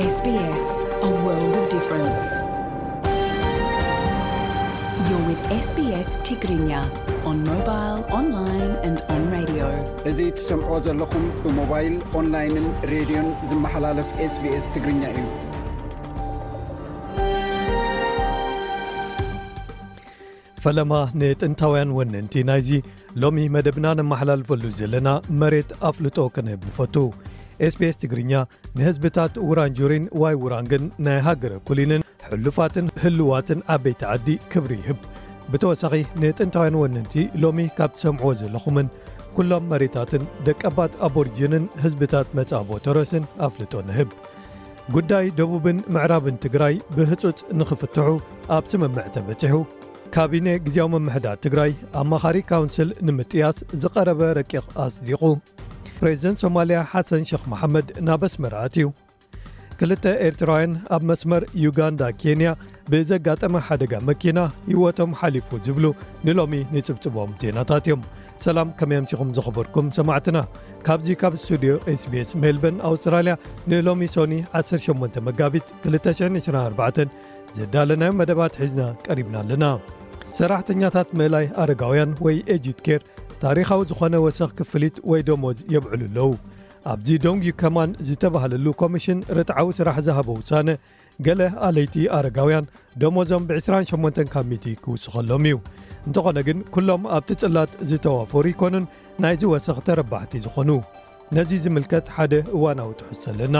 S B S, a world of difference. You're with S B S Tigrinya on mobile, online and on radio. እዚ ትሰምዖ ዘለኹም ብሞባይል፣ ኦንላይንን ሬድዮን ዝመሓላለፍ S B S ትግርኛ እዩ። ፈለማ ንጥንታውያን ወነንቲ ናይዚ ሎሚ መደብና ነመሓላልፈሉ ዘለና መሬት ኣፍልጦ ክንህብ ንፈቱ። S B S ትግርኛ ንህዝብታት ውራንጁሪን ዋይ ውራንግን ናይ ሃገረ ኩሊንን ሕሉፋትን ህልዋትን ዓበይቲ ዓዲ ክብሪ ይህብ። ብተወሳኺ ንጥንታውያን ወነንቲ ሎሚ ካብ ትሰምዕዎ ዘለኹምን ኩሎም መሬታትን ደቀባት ኣቦሪጅንን ህዝብታት መጻቦ ተረስን ኣፍልጦ ንህብ። ጉዳይ ደቡብን ምዕራብን ትግራይ ብህጹጽ ንኽፍትሑ ኣብ ስምምዕ ተበጺሑ። ካቢነ ግዝያዊ ምምሕዳር ትግራይ ኣማኻሪ ካውንስል ንምጥያስ ዝቐረበ ረቂቕ ኣጽዲቑ። ፕሬዚደንት ሶማልያ ሓሰን ሸኽ መሓመድ ናብ ኣስመራ ኣትዩ። ክልተ ኤርትራውያን ኣብ መስመር ዩጋንዳ ኬንያ ብዘጋጠመ ሓደጋ መኪና ህይወቶም ሓሊፉ ዝብሉ ንሎሚ ንጽብጽቦም ዜናታት እዮም። ሰላም፣ ከመይ ኣምሲኹም ዝኸበርኩም ሰማዕትና? ካብዚ ካብ ስቱድዮ S B S ሜልበርን ኣውስትራልያ ንሎሚ ሶኒ ዓሰርተ ሸሞንተ መጋቢት ክልተ ሽሕን ዕስራን ኣርባዕተን ዘዳለናዮ መደባት ሒዝና ቀሪብና ኣለና። ሰራሕተኛታት ምእላይ ኣረጋውያን ወይ ኤጅድ ኬር ታሪኻዊ ዝኾነ ወሰኽ ክፍሊት ወይ ደሞዝ የብዕሉ ኣለዉ። ኣብዚ ዶንግ ዩ ከማን ዝተባህለሉ ኮሚሽን ርትዓዊ ስራሕ ዝሃቦ ውሳነ፣ ገለ ኣለይቲ ኣረጋውያን ደሞዞም ብ ዕስራን ሸሞንተን ካብ ሚእቲ ክውስኸሎም እዩ። እንተኾነ ግን ኩሎም ኣብቲ ጽላት ዝተዋፈሩ ይኮኑን ናይዚ ወሰኽ ተረባሕቲ ዝኾኑ። ነዚ ዝምልከት ሓደ እዋናዊ ትሕዝቶ ኣለና።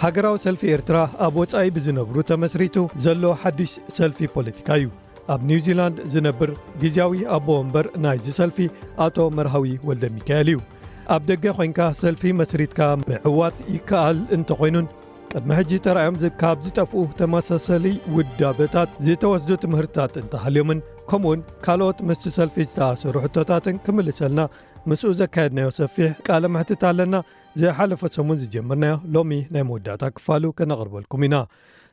ሃገራዊ ሰልፊ ኤርትራ ኣብ ወጻኢ ብዝነብሩ ተመስሪቱ ዘሎ ሓድሽ ሰልፊ ፖለቲካ እዩ። ኣብ ኒውዚላንድ ዝነብር ግዝያዊ ኣቦ ወንበር ናይዚ ሰልፊ ኣቶ መርሃዊ ወልደ ሚካኤል እዩ። ኣብ ደገ ኮይንካ ሰልፊ መስሪትካ ምዕዋት ይከኣል እንተኾይኑን፣ ቅድሚ ሕጂ ተራእዮም ዝ-፣ ካብ ዝጠፍኡ ተመሳሰሊ ውዳበታት ዝተወስዱ ትምህርትታት እንተሃልዮምን፣ ከምኡውን ካልኦት ምስቲ ሰልፊ ዝተኣሰሩ ሕቶታትን ክምልሰልና ምስኡ ዘካየድናዮ ሰፊሕ ቃለ መሕትት ኣለና። ዝሓለፈ ሰሙን ዝጀመርናዮ ሎሚ ናይ መወዳእታ ክፋሉ ከነቕርበልኩም ኢና።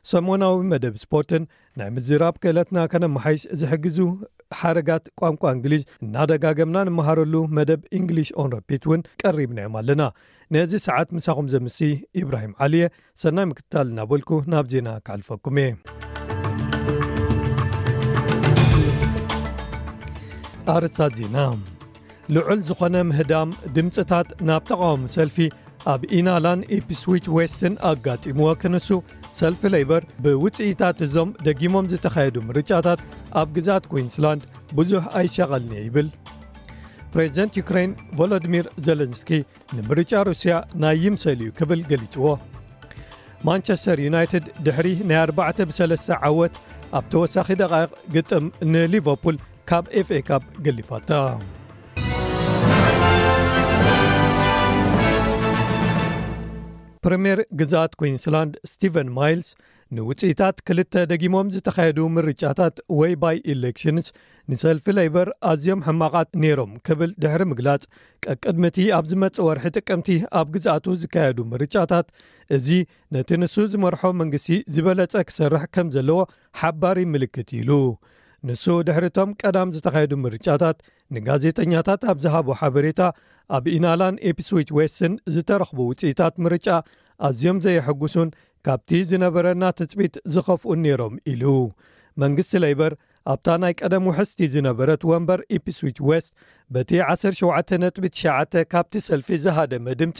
ሰሞናዊ መደብ ስፖርትን ናይ ምዝራብ ክእለትና ከነመሓይሽ ዝሕግዙ ሓረጋት ቋንቋ እንግሊዝ እናደጋገምና ንመሃረሉ መደብ English on Repeat እውን ቀሪብናዮም ኣለና። ነዚ ሰዓት ምሳኹም ዘምሲ ኢብራሂም ዓሊየ። ሰናይ ምክትታል እናበልኩ ናብ ዜና ክሓልፈኩም እየ። ኣርእስታት ዜና። ልዑል ዝኾነ ምህዳም ድምፅታት ናብ ተቓዋሚ ሰልፊ ኣብ ኢናላን ኢፕስዊች ዌስትን ኣጋጢምዎ ክንሱ፣ ሰልፊ ሌይበር ብውፅኢታት እዞም ደጊሞም ዝተኻየዱ ምርጫታት ኣብ ግዝኣት ኩዊንስላንድ ብዙሕ ኣይሻቐልን'የ ይብል። ፕሬዚደንት ዩክሬን ቮሎዲሚር ዘለንስኪ ንምርጫ ሩስያ ናይ ይምሰል እዩ ክብል ገሊጽዎ። ማንቸስተር ዩናይትድ ድሕሪ ናይ ኣርባዕተ ብሰለስተ ዓወት ኣብ ተወሳኺ ደቓይቕ ግጥም ንሊቨርፑል ካብ ኤፍ ኤ ካፕ ገሊፋታ። ፕሪምየር ግዝኣት ኩዊንስላንድ ስቲቨን ማይልስ ንውጽኢታት ክልተ ደጊሞም ዝተኻየዱ ምርጫታት ወይ ባይ ኢሌክሽንስ ንሰልፊ ሌይበር ኣዝዮም ሕማቓት ነይሮም ክብል ድሕሪ ምግላጽ፣ ቀቅድሚ እቲ ኣብ ዝመጽእ ወርሒ ጥቅምቲ ኣብ ግዝኣቱ ዝካየዱ ምርጫታት፣ እዚ ነቲ ንሱ ዝመርሖ መንግስቲ ዝበለጸ ክሰርሕ ከም ዘለዎ ሓባሪ ምልክት ኢሉ። ንሱ ድሕሪ እቶም ቀዳም ዝተኻየዱ ምርጫታት ንጋዜጠኛታት ኣብ ዝሃቦ ሓበሬታ፣ ኣብ ኢናላን ኢፕስዊች ዌስትን ዝተረኽቡ ውጽኢታት ምርጫ ኣዝዮም ዘየሐጉሱን ካብቲ ዝነበረና ትጽቢት ዝኸፍኡን ነይሮም ኢሉ። መንግስቲ ሌይበር ኣብታ ናይ ቀደም ውሕስቲ ዝነበረት ወንበር ኢፕስዊች ዌስት በቲ ዓሰርተ ሸውዓተ ነጥቢ ትሽዓተ ካብቲ ሰልፊ ዝሃደመ ድምጺ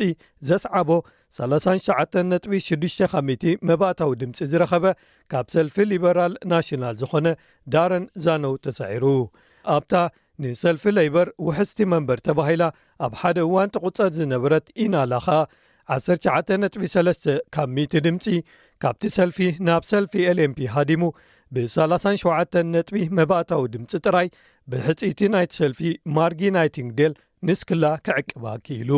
ዘስዓቦ ሰላሳን ትሽዓተን ነጥቢ ሽዱሽተ ካብ ሚእቲ መባእታዊ ድምጺ ዝረኸበ ካብ ሰልፊ ሊበራል ናሽናል ዝኾነ ዳረን ዛነው ተሳዒሩ። ኣብታ ንሰልፊ ሌይበር ውሕስቲ መንበር ተባሂላ ኣብ ሓደ እዋን ትቑጸር ዝነበረት ኢናላ ኸኣ ዓሰርተ ትሽዓተ ነጥቢ ሰለስተ ካብ ሚእቲ ድምጺ ካብቲ ሰልፊ ናብ ሰልፊ ኤል ኤን ፒ ሃዲሙ ብ ሰላሳን ሸውዓተን ነጥቢ መባእታዊ ድምጺ ጥራይ ብሕጽይቲ ናይቲ ሰልፊ ማርጊ ናይቲንግዴል ንስክላ ክዕቅባ ክኢሉ።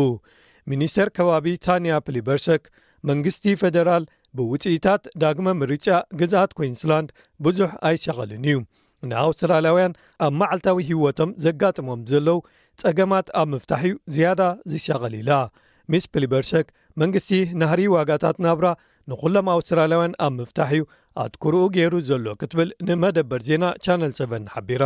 ሚኒስተር ከባቢ ታንያ ፕሊበርሰክ መንግስቲ ፌደራል ብውጽኢታት ዳግመ ምርጫ ግዝኣት ኩዊንስላንድ ብዙሕ ኣይሻቐልን እዩ። ንኣውስትራልያውያን ኣብ መዓልታዊ ህይወቶም ዘጋጥሞም ዘለዉ ጸገማት ኣብ ምፍታሕ እዩ ዝያዳ ዝሻቐል ኢላ። ሚስ ፕሊበርሰክ መንግስቲ ናህሪ ዋጋታት ናብራ ንኹሎም ኣውስትራልያውያን ኣብ ምፍታሕ እዩ ኣትኩርኡ ገይሩ ዘሎ ክትብል ንመደበር ዜና ቻነል ሰቨን ሓቢራ።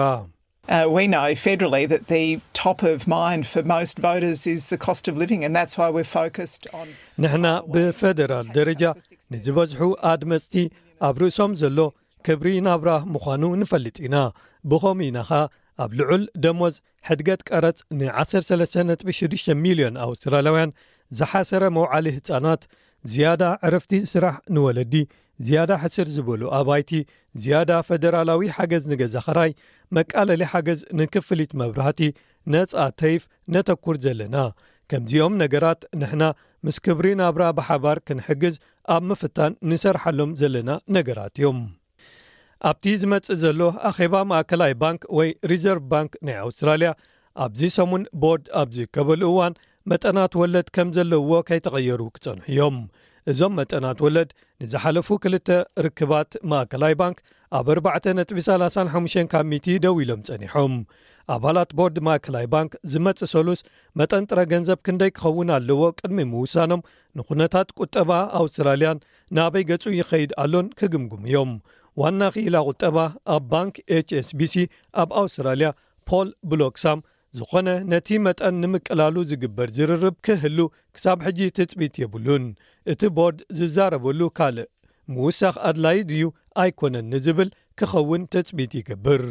Uh, we know federally that the top of mind for most voters is the cost of living, and that's why we're focused on. ንሕና ብፌደራል ደረጃ ንዝበዝሑ ኣድመፅቲ ኣብ ርእሶም ዘሎ ክብሪ ናብራ ምዃኑ ንፈልጥ ኢና። ብኸምኡ ኢና ኸኣ ኣብ ልዑል ደሞዝ፣ ሕድገት ቀረጽ ን ዓሰርተ ሰለስተ ነጥቢ ሽዱሽተ ሚልዮን ኣውስትራልያውያን ዝሓሰረ መውዓሊ ህጻናት፣ ዝያዳ ዕረፍቲ ስራሕ ንወለዲ፣ ዝያዳ ሕስር ዝበሉ ኣባይቲ፣ ዝያዳ ፈደራላዊ ሓገዝ ንገዛ ኸራይ፣ መቃለሊ ሓገዝ ንክፍሊት መብራህቲ፣ ነጻ ተይፍ ነተኩር ዘለና። ከምዚኦም ነገራት ንሕና ምስ ክብሪ ናብራ ብሓባር ክንሕግዝ ኣብ ምፍታን ንሰርሓሎም ዘለና ነገራት እዮም። ኣብቲ ዝመጽእ ዘሎ ኣኼባ ማእከላይ ባንክ ወይ ሪዘርቭ ባንክ ናይ ኣውስትራልያ ኣብዚ ሰሙን ቦርድ ኣብ ዝከበሉ እዋን መጠናት ወለድ ከም ዘለውዎ ከይተቐየሩ ክጸንሑ እዮም። እዞም መጠናት ወለድ ንዝሓለፉ ክልተ ርክባት ማእከላይ ባንክ ኣብ ኣርባዕተ ነጥቢ ሰላሳን ሓሙሽተን ካብ ሚእቲ ደው ኢሎም ጸኒሖም። ኣባላት ቦርድ ማእከላይ ባንክ ዝመጽእ ሰሉስ መጠን ጥረ ገንዘብ ክንደይ ክኸውን ኣለዎ ቅድሚ ምውሳኖም ንኩነታት ቁጠባ ኣውስትራልያን ናበይ ገጹ ይኸይድ ኣሎን ክግምግሙ እዮም። ዋና ክኢላ ቁጠባ ኣብ ባንክ ኤች ኤስ ቢ ሲ ኣብ ኣውስትራልያ ፖል ብሎክሳም ዝኾነ ነቲ መጠን ንምቅላሉ ዝግበር ዝርርብ ክህሉ ክሳብ ሕጂ ትጽቢት የብሉን። እቲ ቦርድ ዝዛረበሉ ካልእ ምውሳኽ ኣድላዪ ድዩ ኣይኮነን ንዝብል ክኸውን ትጽቢት ይገብር።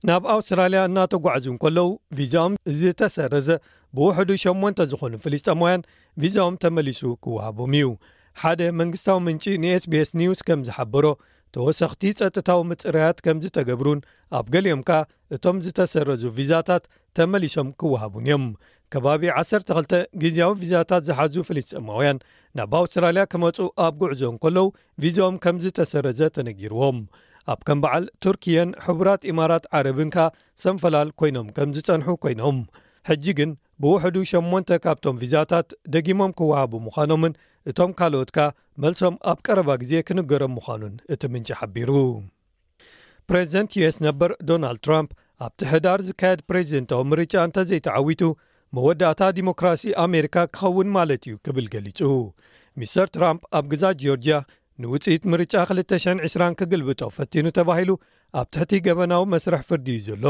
ናብ ኣውስትራልያ እናተጓዕዙ እንከለዉ ቪዛኦም ዝተሰረዘ ብውሕዱ ሸሞንተ ዝኾኑ ፍልስጤማውያን ቪዛኦም ተመሊሱ ክወሃቦም እዩ። ሓደ መንግስታዊ ምንጪ ን ኤስ ቢ ኤስ ኒውስ ከም ዝሓበሮ፣ ተወሰኽቲ ጸጥታዊ ምጽራያት ከም ዝተገብሩን ኣብ ገሊኦም ከኣ እቶም ዝተሰረዙ ቪዛታት ተመሊሶም ክወሃቡን እዮም። ከባቢ ዓሰርተ ክልተ ግዝያዊ ቪዛታት ዝሓዙ ፍልስጤማውያን ናብ ኣውስትራልያ ክመጹ ኣብ ጉዕዞ እንከለዉ ቪዛኦም ከም ዝተሰረዘ ተነጊርዎም። ኣብ ከም በዓል ቱርክየን ሕቡራት ኢማራት ዓረብን ከኣ ሰንፈላል ኮይኖም ከም ዝጸንሑ ኮይኖም፣ ሕጂ ግን ብውሕዱ ሸሞንተ ካብቶም ቪዛታት ደጊሞም ክወሃቡ ምዃኖምን እቶም ካልኦት ከኣ መልሶም ኣብ ቀረባ ግዜ ክንገሮም ምዃኑን እቲ ምንጪ ሓቢሩ። ፕሬዚደንት ዩ ኤስ ነበር ዶናልድ ትራምፕ ኣብቲ ሕዳር ዝካየድ ፕሬዚደንታዊ ምርጫ እንተዘይተዓዊቱ መወዳእታ ዲሞክራሲ ኣሜሪካ ክኸውን ማለት እዩ ክብል ገሊጹ። ሚስተር ትራምፕ ኣብ ግዛት ጆርጅያ ንውጽኢት ምርጫ ክልተ ሽሕን ዕስራን ክግልብጦ ፈቲኑ ተባሂሉ ኣብ ትሕቲ ገበናዊ መስርሕ ፍርዲ እዩ ዘሎ።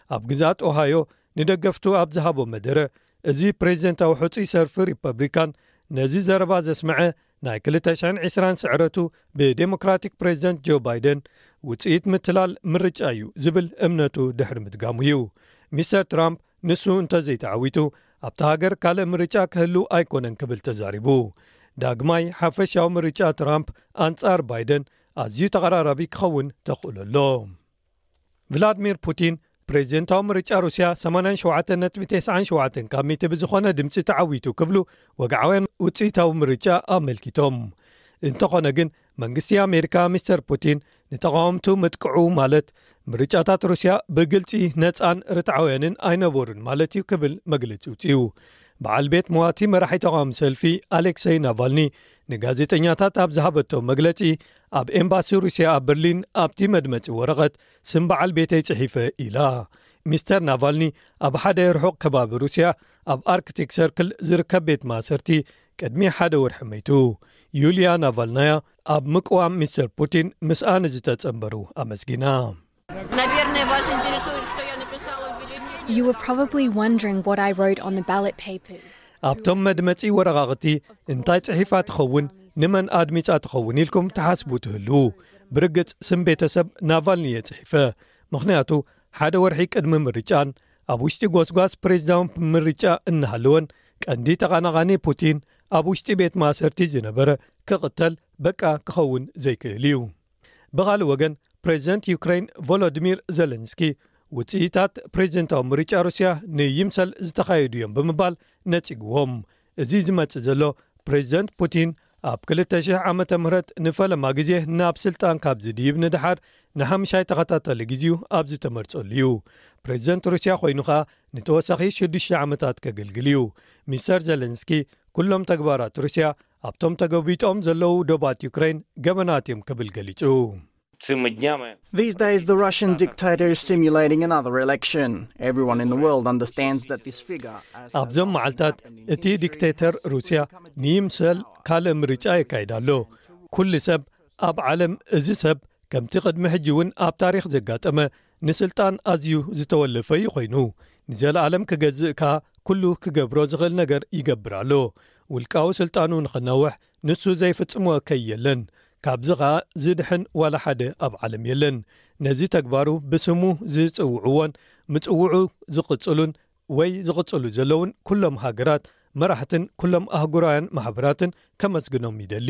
ኣብ ግዛት ኦሃዮ ንደገፍቱ ኣብ ዝሃቦ መደረ፣ እዚ ፕሬዚደንታዊ ሕጹይ ሰልፊ ሪፐብሊካን ነዚ ዘረባ ዘስምዐ ናይ ክልተ ሽሕን ዕስራን ስዕረቱ ብዴሞክራቲክ ፕሬዚደንት ጆ ባይደን ውጽኢት ምትላል ምርጫ እዩ ዝብል እምነቱ ድሕሪ ምድጋሙ እዩ። ሚስተር ትራምፕ ንሱ እንተዘይተዓዊቱ ኣብታ ሃገር ካልእ ምርጫ ክህሉ ኣይኮነን ክብል ተዛሪቡ። ዳግማይ ሓፈሻዊ ምርጫ ትራምፕ ኣንጻር ባይደን ኣዝዩ ተቐራራቢ ክኸውን ተኽእሎ ኣሎ። ቭላድሚር ፑቲን ፕሬዚደንታዊ ምርጫ ሩስያ ሰማንያን ሸውዓተን ነጥቢ ተስዓን ሸውዓተን ካብ ሚእቲ ብዝኾነ ድምፂ ተዓዊቱ ክብሉ ወግዓውያን ውፅኢታዊ ምርጫ ኣመልኪቶም። እንተኾነ ግን መንግስቲ ኣሜሪካ ሚስተር ፑቲን ንተቓወምቱ ምጥቅዑ ማለት ምርጫታት ሩስያ ብግልፂ ነፃን ርትዓውያንን ኣይነበሩን ማለት እዩ ክብል መግለፂ ውፅኡ። በዓል ቤት መዋቲ መራሒ ተቓዋሚ ሰልፊ ኣሌክሰይ ናቫልኒ ንጋዜጠኛታት ኣብ ዝሃበቶ መግለፂ ኣብ ኤምባሲ ሩስያ ኣብ በርሊን ኣብቲ መድመፂ ወረቐት ስም በዓል ቤተይ ጽሒፈ ኢላ። ሚስተር ናቫልኒ ኣብ ሓደ ርሑቕ ከባቢ ሩስያ ኣብ ኣርክቲክ ሰርክል ዝርከብ ቤት ማእሰርቲ ቅድሚ ሓደ ወርሒ መይቱ። ዩልያ ናቫልናያ ኣብ ምቅዋም ሚስተር ፑቲን ምስኣ ንዝተጸንበሩ ኣመስጊና። Наверное, вас интересует, что я написала в бюллетене. You were probably wondering what I wrote on the ballot papers. ኣብቶም መድመጺ ወረቓቕቲ እንታይ ጽሒፋ ትኸውን፣ ንመን ኣድሚጻ ትኸውን ኢልኩም ትሓስቡ ትህልዉ። ብርግጽ ስም ቤተሰብ ናቫልኒ እየ ጽሒፈ፣ ምኽንያቱ ሓደ ወርሒ ቅድሚ ምርጫን ኣብ ውሽጢ ጎስጓስ ፕሬዚዳንት ምርጫ እናሃለወን ቀንዲ ተቓናቓኒ ፑቲን ኣብ ውሽጢ ቤት ማእሰርቲ ዝነበረ ክቕተል በቃ ክኸውን ዘይክእል እዩ። ብኻልእ ወገን ፕሬዚደንት ዩክሬን ቮሎዲሚር ዘለንስኪ ውፅኢታት ፕሬዚደንታዊ ምርጫ ሩስያ ንይምሰል ዝተኻየዱ እዮም ብምባል ነፂግዎም። እዚ ዝመፅእ ዘሎ ፕሬዚደንት ፑቲን ኣብ ክልተ ሽሕ ዓመተ ምህረት ንፈለማ ግዜ ናብ ስልጣን ካብ ዝድይብ ንድሓር ንሓምሻይ ተኸታታሊ ግዜኡ ኣብ ዝተመርፀሉ እዩ። ፕሬዚደንት ሩስያ ኮይኑ ኸኣ ንተወሳኺ ሽዱሽተ ዓመታት ከገልግል እዩ። ሚስተር ዘለንስኪ ኩሎም ተግባራት ሩስያ ኣብቶም ተገቢጦም ዘለዉ ዶባት ዩክሬን ገበናት እዮም ክብል ገሊጹ። These days, the Russian dictator is simulating another election. Everyone in the world understands that this figure, as has ኣብዞም መዓልታት እቲ ዲክቴተር ሩስያ ንይምሰል ካልእ ምርጫ የካይድ ኣሎ። ኩሉ ሰብ ኣብ ዓለም እዚ ሰብ ከምቲ ቅድሚ ሕጂ እውን ኣብ ታሪኽ ዘጋጠመ ንስልጣን ኣዝዩ ዝተወለፈ እዩ ኮይኑ፣ ንዘለኣለም ክገዝእ ከኣ ኩሉ ክገብሮ ዝኽእል ነገር ይገብር ኣሎ። ውልቃዊ ስልጣኑ ንኽነውሕ ንሱ ዘይፍጽሞ እከይ የለን። ካብዚ ኸኣ ዝድሕን ዋላ ሓደ ኣብ ዓለም የለን። ነዚ ተግባሩ ብስሙ ዝጽውዕዎን ምጽውዑ ዝቕጽሉን ወይ ዝቕጽሉ ዘለውን ኩሎም ሃገራት መራሕትን ኩሎም ኣህጉራውያን ማሕበራትን ከመስግኖም ይደሊ።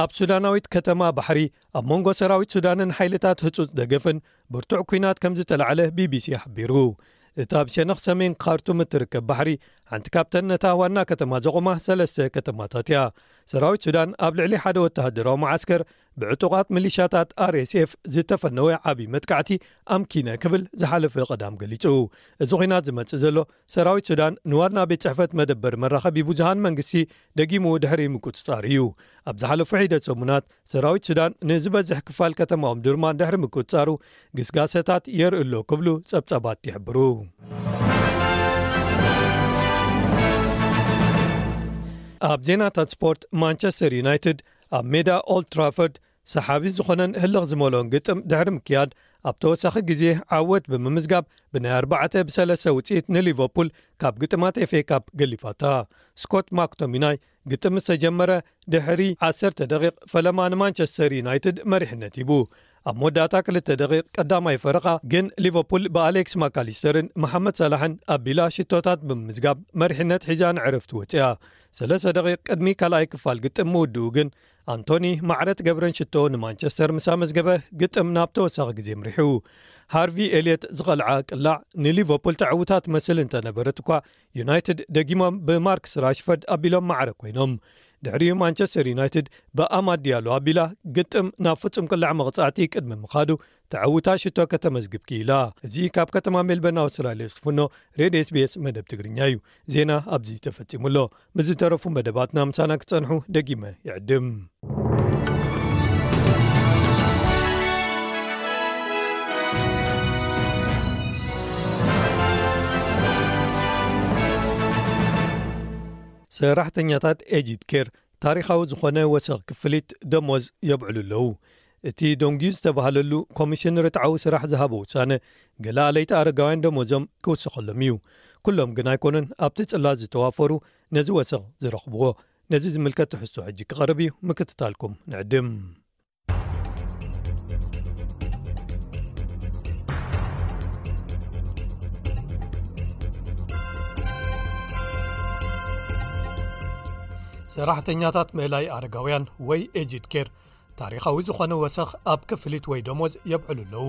ኣብ ሱዳናዊት ከተማ ባሕሪ ኣብ መንጎ ሰራዊት ሱዳንን ሓይልታት ህጹጽ ደገፍን ብርቱዕ ኲናት ከም ዝተላዕለ ቢቢሲ ሓቢሩ። እታ ኣብ ሸነኽ ሰሜን ካርቱም እትርከብ ባሕሪ ሓንቲ ካብተን ነታ ዋና ከተማ ዘቖማ ሰለስተ ከተማታት እያ። ሰራዊት ሱዳን ኣብ ልዕሊ ሓደ ወተሃደራዊ መዓስከር ብዕጡቓት ሚሊሻታት ኣር ኤስ ኤፍ ዝተፈነወ ዓቢ መጥቃዕቲ ኣምኪነ ክብል ዝሓለፈ ቀዳም ገሊጹ። እዚ ኲናት ዝመጽእ ዘሎ ሰራዊት ሱዳን ንዋና ቤት ጽሕፈት መደበር መራኸቢ ብዙሃን መንግስቲ ደጊሙ ድሕሪ ምቁጽጻር እዩ። ኣብ ዝሓለፉ ሒደት ሰሙናት ሰራዊት ሱዳን ንዝበዝሕ ክፋል ከተማ ኦምዱርማን ድሕሪ ምቁጽጻሩ ግስጋሰታት የርኢ ኣሎ ክብሉ ጸብጻባት ይሕብሩ። ኣብ ዜናታት ስፖርት ማንቸስተር ዩናይትድ ኣብ ሜዳ ኦልድ ትራፎርድ ሰሓቢ ዝኾነን ህልኽ ዝመልኦን ግጥም ድሕሪ ምክያድ ኣብ ተወሳኺ ግዜ ዓወት ብምምዝጋብ ብናይ ኣርባዕተ ብሰለስተ ውፅኢት ንሊቨርፑል ካብ ግጥማት ኤፍ ኤ ካፕ ገሊፋታ። ስኮት ማክቶሚናይ ግጥም ዝተጀመረ ድሕሪ ዓሰርተ ደቂቕ ፈለማ ንማንቸስተር ዩናይትድ መሪሕነት ሂቡ። ኣብ መወዳእታ ክልተ ደቂቕ ቀዳማይ ፈረቓ ግን ሊቨርፑል ብኣሌክስ ማካሊስተርን መሓመድ ሳላሕን ኣቢላ ሽቶታት ብምምዝጋብ መሪሕነት ሒዛ ንዕረፍቲ ወፅያ። ሰለስተ ደቂቕ ቅድሚ ካልኣይ ክፋል ግጥም ምውድኡ ግን ኣንቶኒ ማዕረ ትገብረን ሽቶ ንማንቸስተር ምስ ኣመዝገበ ግጥም ናብ ተወሳኺ ግዜ ምሪሑ። ሃርቪ ኤልየት ዝቐልዓ ቅላዕ ንሊቨርፑል ተዕውታ ትመስል እንተነበረት እኳ ዩናይትድ ደጊሞም ብማርክስ ራሽፈርድ ኣቢሎም ማዕረ ኮይኖም። ድሕሪኡ ማንቸስተር ዩናይትድ ብኣማድ ዲያሎ ኣቢላ ግጥም ናብ ፍጹም ቅላዕ መቕጻዕቲ ቅድሚ ምኻዱ ተዕውታ ሽቶ ከተመዝግብ ክኢላ። እዚ ካብ ከተማ ሜልበርን ኣውስትራልያ ዝፍኖ ሬድዮ ኤስ ቢ ኤስ መደብ ትግርኛ እዩ። ዜና ኣብዚ ተፈጺሙ ኣሎ። ምስ ዝተረፉ መደባትና ምሳና ክጸንሑ ደጊመ ይዕድም። ሰራሕተኛታት ኤጂድ ኬር ታሪኻዊ ዝኾነ ወሰኽ ክፍሊት ደሞዝ የብዕሉ ኣለዉ። እቲ ዶንጊ ዝተባህለሉ ኮሚሽን ርትዓዊ ስራሕ ዝሃቦ ውሳነ፣ ገለ ኣለይቲ ኣረጋውያን ደሞዞም ክውሰኸሎም እዩ። ኩሎም ግን ኣይኮኑን ኣብቲ ጽላት ዝተዋፈሩ ነዚ ወሰኽ ዝረኽብዎ። ነዚ ዝምልከት ትሕዝቶ ሕጂ ክቐርብ እዩ፣ ምክትታልኩም ንዕድም። ሰራሕተኛታት ምእላይ ኣረጋውያን ወይ ኤጂድ ኬር ታሪኻዊ ዝኾነ ወሰኽ ኣብ ክፍሊት ወይ ደሞዝ የብዕሉ ኣለዉ።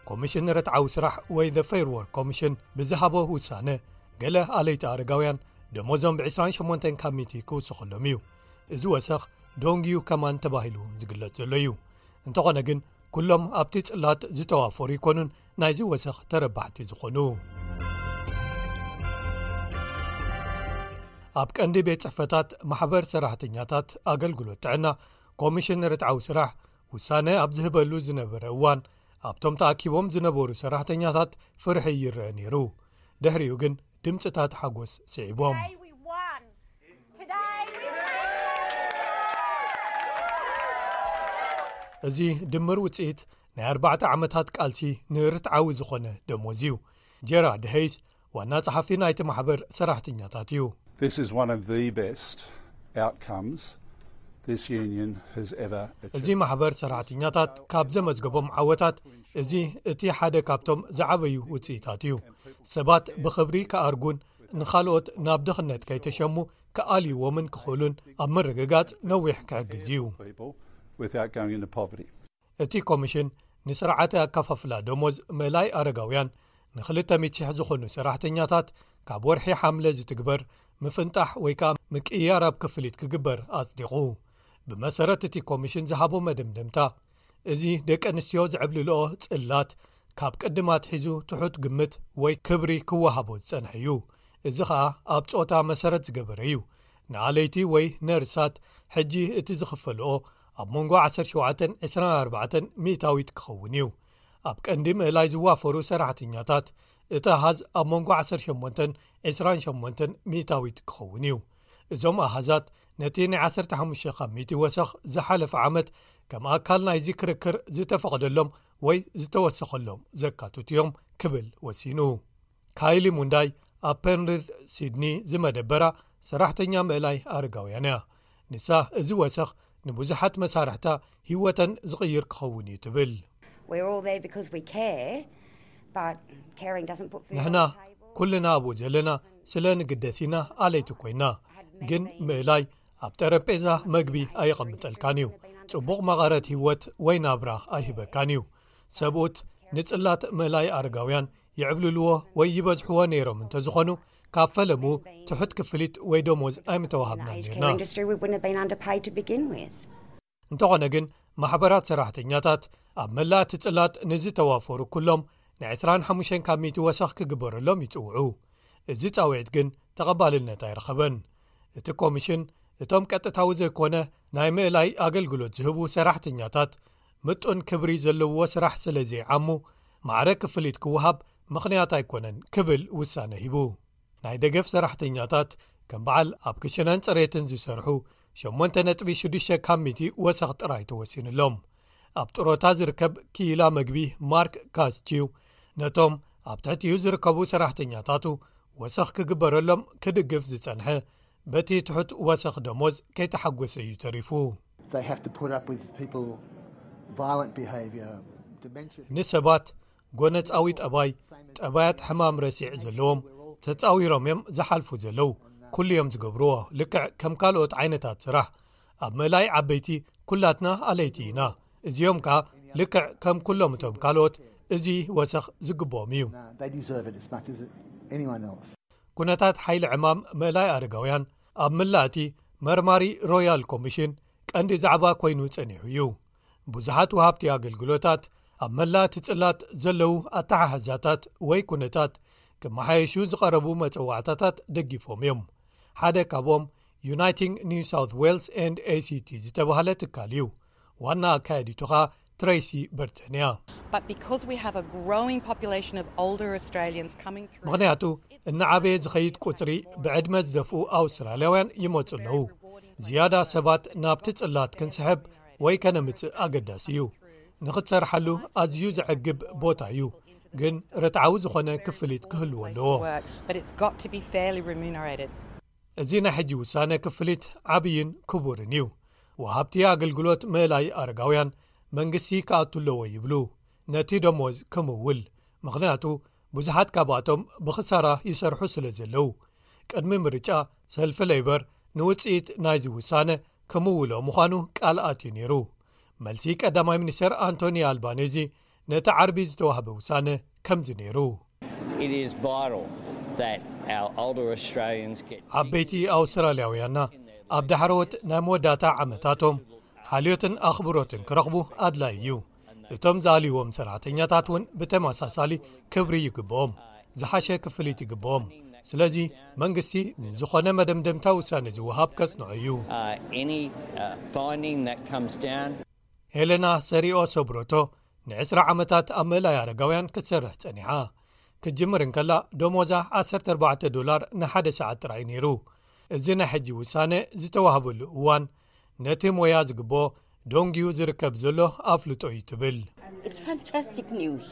ኮሚሽን ርትዓዊ ስራሕ ወይ The Fair Work Commission ብዝሃቦ ውሳነ፣ ገለ ኣለይቲ ኣረጋውያን ደሞዞም ብ ዕስራን ሸሞንተን ካብ ሚእቲ ክውስኸሎም እዩ። እዚ ወሰኽ ዶንግዩ ከማን ተባሂሉ ዝግለጽ ዘሎ እዩ። እንተኾነ ግን ኩሎም ኣብቲ ጽላት ዝተዋፈሩ ይኮኑን ናይዚ ወሰኽ ተረባሕቲ ዝኾኑ። ኣብ ቀንዲ ቤት ጽሕፈታት ማሕበር ሰራሕተኛታት ኣገልግሎት ጥዕና ኮሚሽን ርትዓዊ ስራሕ ውሳነ ኣብ ዝህበሉ ዝነበረ እዋን፣ ኣብቶም ተኣኪቦም ዝነበሩ ሰራሕተኛታት ፍርሒ ይረአ ነይሩ። ድሕሪኡ ግን ድምጽታት ሓጎስ ስዒቦም። Today we won. Today we changed. እዚ ድምር ውጽኢት ናይ ኣርባዕተ ዓመታት ቃልሲ ንርትዓዊ ዝኾነ ደሞዝ እዩ። ጀራርድ ሄይስ ዋና ጸሓፊ ናይቲ ማሕበር ሰራሕተኛታት እዩ። This is one of the best outcomes this union has ever achieved. እዚ ማሕበር ሰራሕተኛታት ካብ ዘመዝገቦም ዓወታት፣ እዚ እቲ ሓደ ካብቶም ዝዓበዩ ውጽኢታት እዩ። ሰባት ብኽብሪ ክኣርጉን ንኻልኦት ናብ ድኽነት ከይተሸሙ ክኣልይዎምን ክኽእሉን ኣብ ምርግጋጽ ነዊሕ ክሕግዝ እዩ። People without going into poverty. እቲ ኮሚሽን ንስርዓተ ኣከፋፍላ ደሞዝ ምእላይ ኣረጋውያን ንክልተ ሚእቲ ሽሕ ዝኾኑ ሰራሕተኛታት ካብ ወርሒ ሓምለ ዝትግበር ምፍንጣሕ ወይ ከኣ ምቅይያር ኣብ ክፍሊት ክግበር ኣጽዲቑ። ብመሰረት እቲ ኮሚሽን ዝሃቦ መደምደምታ፣ እዚ ደቂ ኣንስትዮ ዝዕብልልኦ ጽላት ካብ ቅድም ኣትሒዙ ትሑት ግምት ወይ ክብሪ ክወሃቦ ዝጸንሐ እዩ። እዚ ኸኣ ኣብ ጾታ መሰረት ዝገበረ እዩ። ንኣለይቲ ወይ ነርሳት ሕጂ እቲ ዝኽፈልኦ ኣብ መንጎ ዓሰርተ ሸውዓተን ዕስራን ኣርባዕተን ሚእታዊት ክኸውን እዩ። ኣብ ቀንዲ ምእላይ ዝዋፈሩ ሰራሕተኛታት እቲ ኣሃዝ ኣብ መንጎ ዓሰርተ ሸሞንተን ዕስራን ሸሞንተን ሚእታዊት ክኸውን እዩ። እዞም ኣሃዛት ነቲ ናይ ዓሰርተ ሓሙሽተ ካብ ሚእቲ ወሰኽ ዝሓለፈ ዓመት ከም ኣካል ናይዚ ክርክር ዝተፈቐደሎም ወይ ዝተወሰኸሎም ዘካትቱ እዮም ክብል ወሲኑ። ካይሊ ሙንዳይ ኣብ ፐንሪዝ ሲድኒ ዝመደበራ ሰራሕተኛ ምእላይ ኣረጋውያን እያ። ንሳ እዚ ወሰኽ ንብዙሓት መሳርሕታ ህይወተን ዝቕይር ክኸውን እዩ ትብል። We're all there because we care, but caring doesn't put food ንሕና on the table. ኩልና ኣብኡ ዘለና ስለ ንግደስ ኢና ኣለይቲ ኮይና፣ ግን ምእላይ ኣብ ጠረጴዛ መግቢ ኣየቐምጠልካን እዩ። ጽቡቕ መቐረት ህይወት ወይ ናብራ ኣይህበካን እዩ። ሰብኡት ንጽላት ምእላይ ኣረጋውያን ይዕብልልዎ ወይ ይበዝሕዎ ነይሮም እንተዝኾኑ፣ ካብ ፈለሙ ትሑት ክፍሊት ወይ ደሞዝ ኣይምተዋሃብናን Aged ነርና። care industry, we wouldn't have been underpaid to begin with. እንተኾነ ግን ማሕበራት ሰራሕተኛታት ኣብ መላእ እቲ ጽላት ንዝተዋፈሩ ኩሎም ን ዕስራን ሓሙሽተን ካብ ሚእቲ ወሰኽ ክግበረሎም ይጽውዑ። እዚ ጻውዒት ግን ተቐባልነት ኣይረኸበን። እቲ ኮሚሽን እቶም ቀጥታዊ ዘይኮነ ናይ ምእላይ ኣገልግሎት ዝህቡ ሰራሕተኛታት ምጡን ክብሪ ዘለውዎ ስራሕ ስለ ዘይዓሙ ማዕረ ክፍሊት ክወሃብ ምኽንያት ኣይኮነን ክብል ውሳነ ሂቡ። ናይ ደገፍ ሰራሕተኛታት ከም በዓል ኣብ ክሽነን ጽሬትን ዝሰርሑ ሸሞንተ ነጥቢ ሽዱሽተ ካብ ሚእቲ ወሰኽ ጥራይ ተወሲኑሎም። ኣብ ጥሮታ ዝርከብ ክኢላ መግቢ ማርክ ካስቺው ነቶም ኣብ ትሕቲኡ ዝርከቡ ሰራሕተኛታቱ ወሰኽ ክግበረሎም ክድግፍ ዝጸንሐ በቲ ትሑት ወሰኽ ደሞዝ ከይተሓጎሰ እዩ ተሪፉ። They have to put up with people violent behaviour, dementia. ንሰባት ጎነጻዊ ጠባይ፣ ጠባያት ሕማም ረሲዕ ዘለዎም ተጻዊሮም እዮም ዝሓልፉ ዘለዉ። ኩሉ እዮም ዝገብርዎ ልክዕ ከም ካልኦት ዓይነታት ስራሕ። ኣብ ምእላይ ዓበይቲ ኩላትና ኣለይቲ ኢና። እዚኦም ከኣ ልክዕ ከም ኩሎም እቶም ካልኦት እዚ ወሰኽ ዝግብኦም እዩ። No, they deserve it as much as anyone else. ኩነታት ሓይሊ ዕማም ምእላይ ኣረጋውያን ኣብ ምላእቲ መርማሪ ሮያል ኮሚሽን ቀንዲ ዛዕባ ኮይኑ ጸኒሑ እዩ። ብዙሓት ወሃብቲ ኣገልግሎታት ኣብ መላእቲ ጽላት ዘለዉ ኣተሓሕዛታት ወይ ኩነታት ክመሓየሹ ዝቐረቡ መጸዋዕታታት ደጊፎም እዮም። ሓደ ካብኦም Uniting New South Wales and A C T ዝተባህለ ትካል እዩ። ዋና ኣካያዲቱ ኸኣ ትሬሲ በርተን እያ። But because we have a growing population of older Australians coming through, ምኽንያቱ እናዓበየ ዝኸይድ ቁጽሪ ብዕድመ ዝደፍኡ ኣውስትራልያውያን ይመጹ ኣለዉ። ዝያዳ ሰባት ናብቲ ጽላት ክንስሕብ ወይ ከነምጽእ ኣገዳሲ እዩ። ንኽትሰርሓሉ ኣዝዩ ዘዕግብ ቦታ እዩ፣ ግን ርትዓዊ ዝኾነ ክፍሊት ክህልዎ ኣለዎ። work, but it's got to be fairly remunerated. እዚ ናይ ሕጂ ውሳነ ክፍሊት ዓብይን ክቡርን እዩ። ወሃብቲ ኣገልግሎት ምእላይ ኣረጋውያን መንግስቲ ክኣቱ ኣለዎ ይብሉ፣ ነቲ ደሞዝ ክምውል። ምኽንያቱ ብዙሓት ካብኣቶም ብኽሳራ ይሰርሑ ስለ ዘለዉ። ቅድሚ ምርጫ ሰልፊ ሌበር ንውጽኢት ናይዚ ውሳነ ክምውሎ ምዃኑ ቃል ኣትዩ ነይሩ። መልሲ ቀዳማይ ሚኒስተር ኣንቶኒ ኣልባኔዚ ነቲ ዓርቢ ዝተዋህበ ውሳነ ከምዚ ነይሩ። It is vital that our older Australians get ዓበይቲ ኣውስትራልያውያንና ኣብ ዳሕረዎት ናይ መወዳእታ ዓመታቶም ሓልዮትን ኣኽብሮትን ክረኽቡ ኣድላዪ እዩ። እቶም ዝኣልይዎም ሰራሕተኛታት እውን ብተመሳሳሊ ክብሪ ይግብኦም፣ ዝሓሸ ክፍሊት ይግብኦም። ስለዚ መንግስቲ ንዝኾነ መደምደምታ ውሳነ ዝወሃብ ከጽንዖ እዩ። uh, any uh, finding that comes down. ሄለና ሰሪኦ ሶብሮቶ ንዕስራ ዓመታት ኣብ ምእላይ ኣረጋውያን ክትሰርሕ ጸኒሓ። ክትጅምር እንከላ ደሞዛ ዓሰርተ ኣርባዕተ ዶላር ንሓደ ሰዓት ጥራይ ነይሩ። እዚ ናይ ሕጂ ውሳነ ዝተዋህበሉ እዋን ነቲ ሞያ ዝግብኦ ደንጊዩ ዝርከብ ዘሎ ኣፍልጦ እዩ ትብል። It's fantastic news.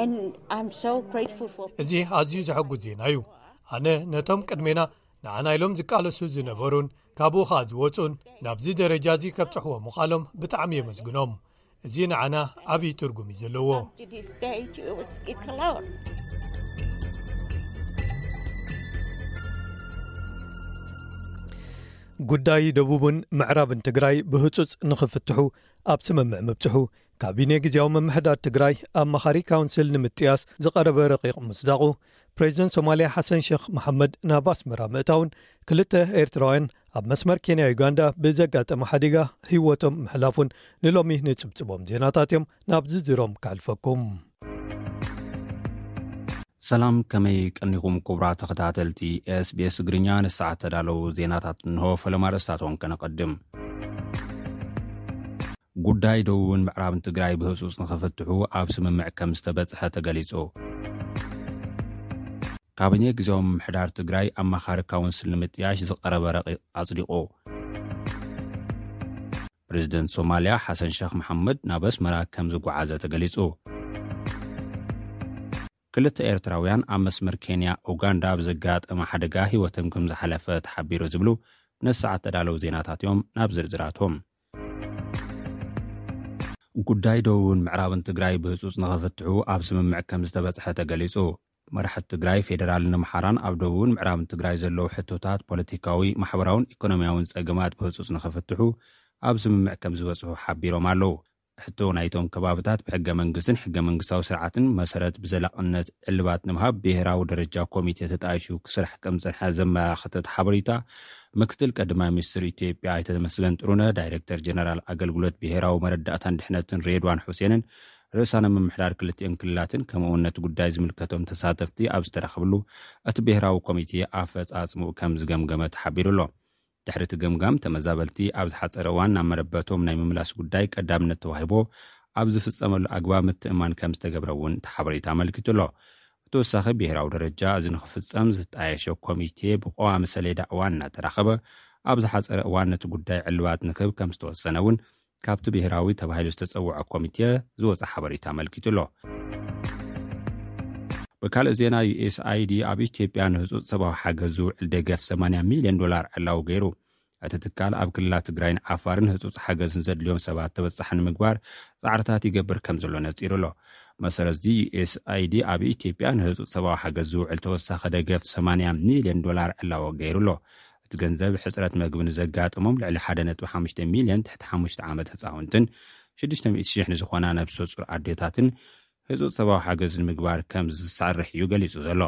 And I'm so grateful for እዚ ኣዝዩ ዘሐጉስ ዜና እዩ። ኣነ ነቶም ቅድሜና ንዓና ኢሎም ዝቃለሱ ዝነበሩን ካብኡ ኸኣ ዝወጹን ናብዚ ደረጃ እዚ ከብጽሕዎ ምዃሎም ብጣዕሚ የመስግኖም። እዚ ንዓና ዓብዪ ትርጉም እዩ ዘለዎ። to this stage. It was, it's a lot. ጉዳይ ደቡብን ምዕራብን ትግራይ ብህጹጽ ንኽፍትሑ ኣብ ስምምዕ ምብጽሑ ካቢኔ ግዜያዊ ምምሕዳር ትግራይ ኣማኻሪ ካውንስል ንምጥያስ ዝቐረበ ረቂቕ ምስዳቑ ፕሬዚደንት ሶማልያ ሓሰን ሸኽ መሓመድ ናብ ኣስመራ ምእታውን ክልተ ኤርትራውያን ኣብ መስመር ኬንያ ዩጋንዳ ብዘጋጠመ ሓዲጋ ህይወቶም ምሕላፉን ንሎሚ ንጽብጽቦም ዜናታት እዮም። ናብ ዝርዝሮም ከሕልፈኩም። ሰላም፣ ከመይ ቀኒኹም ክቡራት ተኸታተልቲ ኤስቢኤስ ትግርኛ? ንሰዓት ተዳለዉ ዜናታት እንሆ። ፈለማ ርእስታቶም ከነቐድም። ጉዳይ ደቡብን ምዕራብን ትግራይ ብህጹጽ ንኽፍትሑ ኣብ ስምምዕ ከም ዝተበጽሐ ተገሊጹ። ካቢኔ ግዜያዊ ምምሕዳር ትግራይ ኣማኻሪ ካውንስል ንምጥያሽ ዝቐረበ ረቂቕ ኣጽዲቑ። ፕሬዝደንት ሶማልያ ሓሰን ሸኽ መሓመድ ናብ ኣስመራ ከም ዝጓዓዘ ተገሊጹ። ክልተ ኤርትራውያን ኣብ መስመር ኬንያ ኡጋንዳ ብዘጋጠመ ሓደጋ ህይወቶም ከም ዝሓለፈ ተሓቢሩ ዝብሉ ነሰዓት ተዳለዉ ዜናታት እዮም። ናብ ዝርዝራቶም። ጉዳይ ደቡብን ምዕራብን ትግራይ ብህፁፅ ንኽፍትሑ ኣብ ስምምዕ ከም ዝተበፅሐ ተገሊፁ። መራሕቲ ትግራይ፣ ፌዴራልን ኣምሓራን ኣብ ደቡብን ምዕራብን ትግራይ ዘለዉ ሕቶታት ፖለቲካዊ፣ ማሕበራውን ኢኮኖሚያውን ፀገማት ብህፁፅ ንኽፍትሑ ኣብ ስምምዕ ከም ዝበፅሑ ሓቢሮም ኣለዉ። ሕቶ ናይቶም ከባብታት ብሕገ መንግስትን ሕገ መንግስታዊ ስርዓትን መሰረት ብዘላቕነት ዕልባት ንምሃብ ብሄራዊ ደረጃ ኮሚቴ ተጣይሹ ክስራሕ ከም ዝፀንሐ ዘመላኽተ እቲ ሓበሬታ፣ ምክትል ቀዳማይ ሚኒስትር ኢትዮጵያ ኣይተ ተመስገን ጥሩነህ፣ ዳይሬክተር ጀነራል ኣገልግሎት ብሄራዊ መረዳእታን ድሕነትን ሬድዋን ሑሴንን፣ ርእሳነ ምምሕዳር ክልቲኦን ክልላትን ከምኡ እውን ነቲ ጉዳይ ዝምልከቶም ተሳተፍቲ ኣብ ዝተረኸብሉ፣ እቲ ብሄራዊ ኮሚቴ ኣፈፃፅምኡ ከም ዝገምገመ ተሓቢሩ ኣሎ። ድሕሪ እቲ ገምጋም፣ ተመዛበልቲ ኣብ ዝሓፀረ እዋን ናብ መረበቶም ናይ ምምላስ ጉዳይ ቀዳምነት ተዋሂቦ ኣብ ዝፍፀመሉ ኣግባብ ምትእማን ከም ዝተገብረ እውን እቲ ሓበሬታ ኣመልኪቱ ኣሎ። ብተወሳኺ፣ ብሄራዊ ደረጃ እዚ ንኽፍፀም ዝጣየሸ ኮሚቴ ብቀዋሚ ሰሌዳ እዋን እናተራኸበ ኣብ ዝሓፀረ እዋን ነቲ ጉዳይ ዕልባት ንክህብ ከም ዝተወሰነ እውን ካብቲ ብሄራዊ ተባሂሉ ዝተፀውዐ ኮሚቴ ዝወፀ ሓበሬታ ኣመልኪቱ ኣሎ። ብካልእ ዜና፣ ዩኤስኣይዲ ኣብ ኢትዮጵያ ንህፁፅ ሰብኣዊ ሓገዝ ዝውዕል ደገፍ ሰማንያ ሚልዮን ዶላር ዕላዊ ገይሩ። እቲ ትካል ኣብ ክልላት ትግራይን ዓፋርን ህፁፅ ሓገዝ ንዘድልዮም ሰባት ተበፃሒ ንምግባር ፃዕርታት ይገብር ከም ዘሎ ነፂሩ ኣሎ። መሰረት እዚ፣ ዩኤስኣይዲ ኣብ ኢትዮጵያ ንህፁፅ ሰብኣዊ ሓገዝ ዝውዕል ተወሳኺ ደገፍ ሰማንያ ሚልዮን ዶላር ዕላዊ ገይሩ ኣሎ። እቲ ገንዘብ ሕፅረት መግቢ ንዘጋጥሞም ልዕሊ ሓደ ነጥቢ ሓሙሽተ ሚልዮን ትሕቲ ሓሙሽተ ዓመት ህፃውንትን ሽዱሽተ ሚእቲ ሽሕ ንዝኾና ነብሰ ፁር ኣዴታትን ህፁፅ ሰብኣዊ ሓገዝ ንምግባር ከም ዝሰርሕ እዩ ገሊፁ ዘሎ።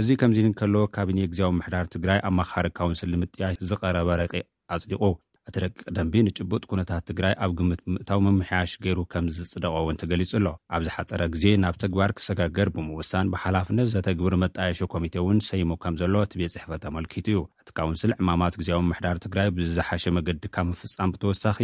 እዚ ከምዚ እንከሎ፣ ካቢኔ ግዜያዊ ምምሕዳር ትግራይ ኣማኻሪ ካውንስል ንምጥያሽ ዝቐረበ ረቂቕ ኣጽዲቑ። እቲ ረቂቕ ደንቢ ንጭቡጥ ኩነታት ትግራይ ኣብ ግምት ብምእታው ምምሕያሽ ገይሩ ከም ዝጽደቐ እውን ተገሊጹ ኣሎ። ኣብ ዝሓጸረ ግዜ ናብ ተግባር ክሰጋገር ብምውሳን ብሓላፍነት ዘተግብር መጣየሺ ኮሚቴ እውን ሰይሙ ከም ዘሎ እቲ ቤት ጽሕፈት ኣመልኪቱ እዩ። እቲ ካውንስል ዕማማት ግዜያዊ ምምሕዳር ትግራይ ብዝሓሸ መገዲ ካብ ምፍጻም ብተወሳኺ፣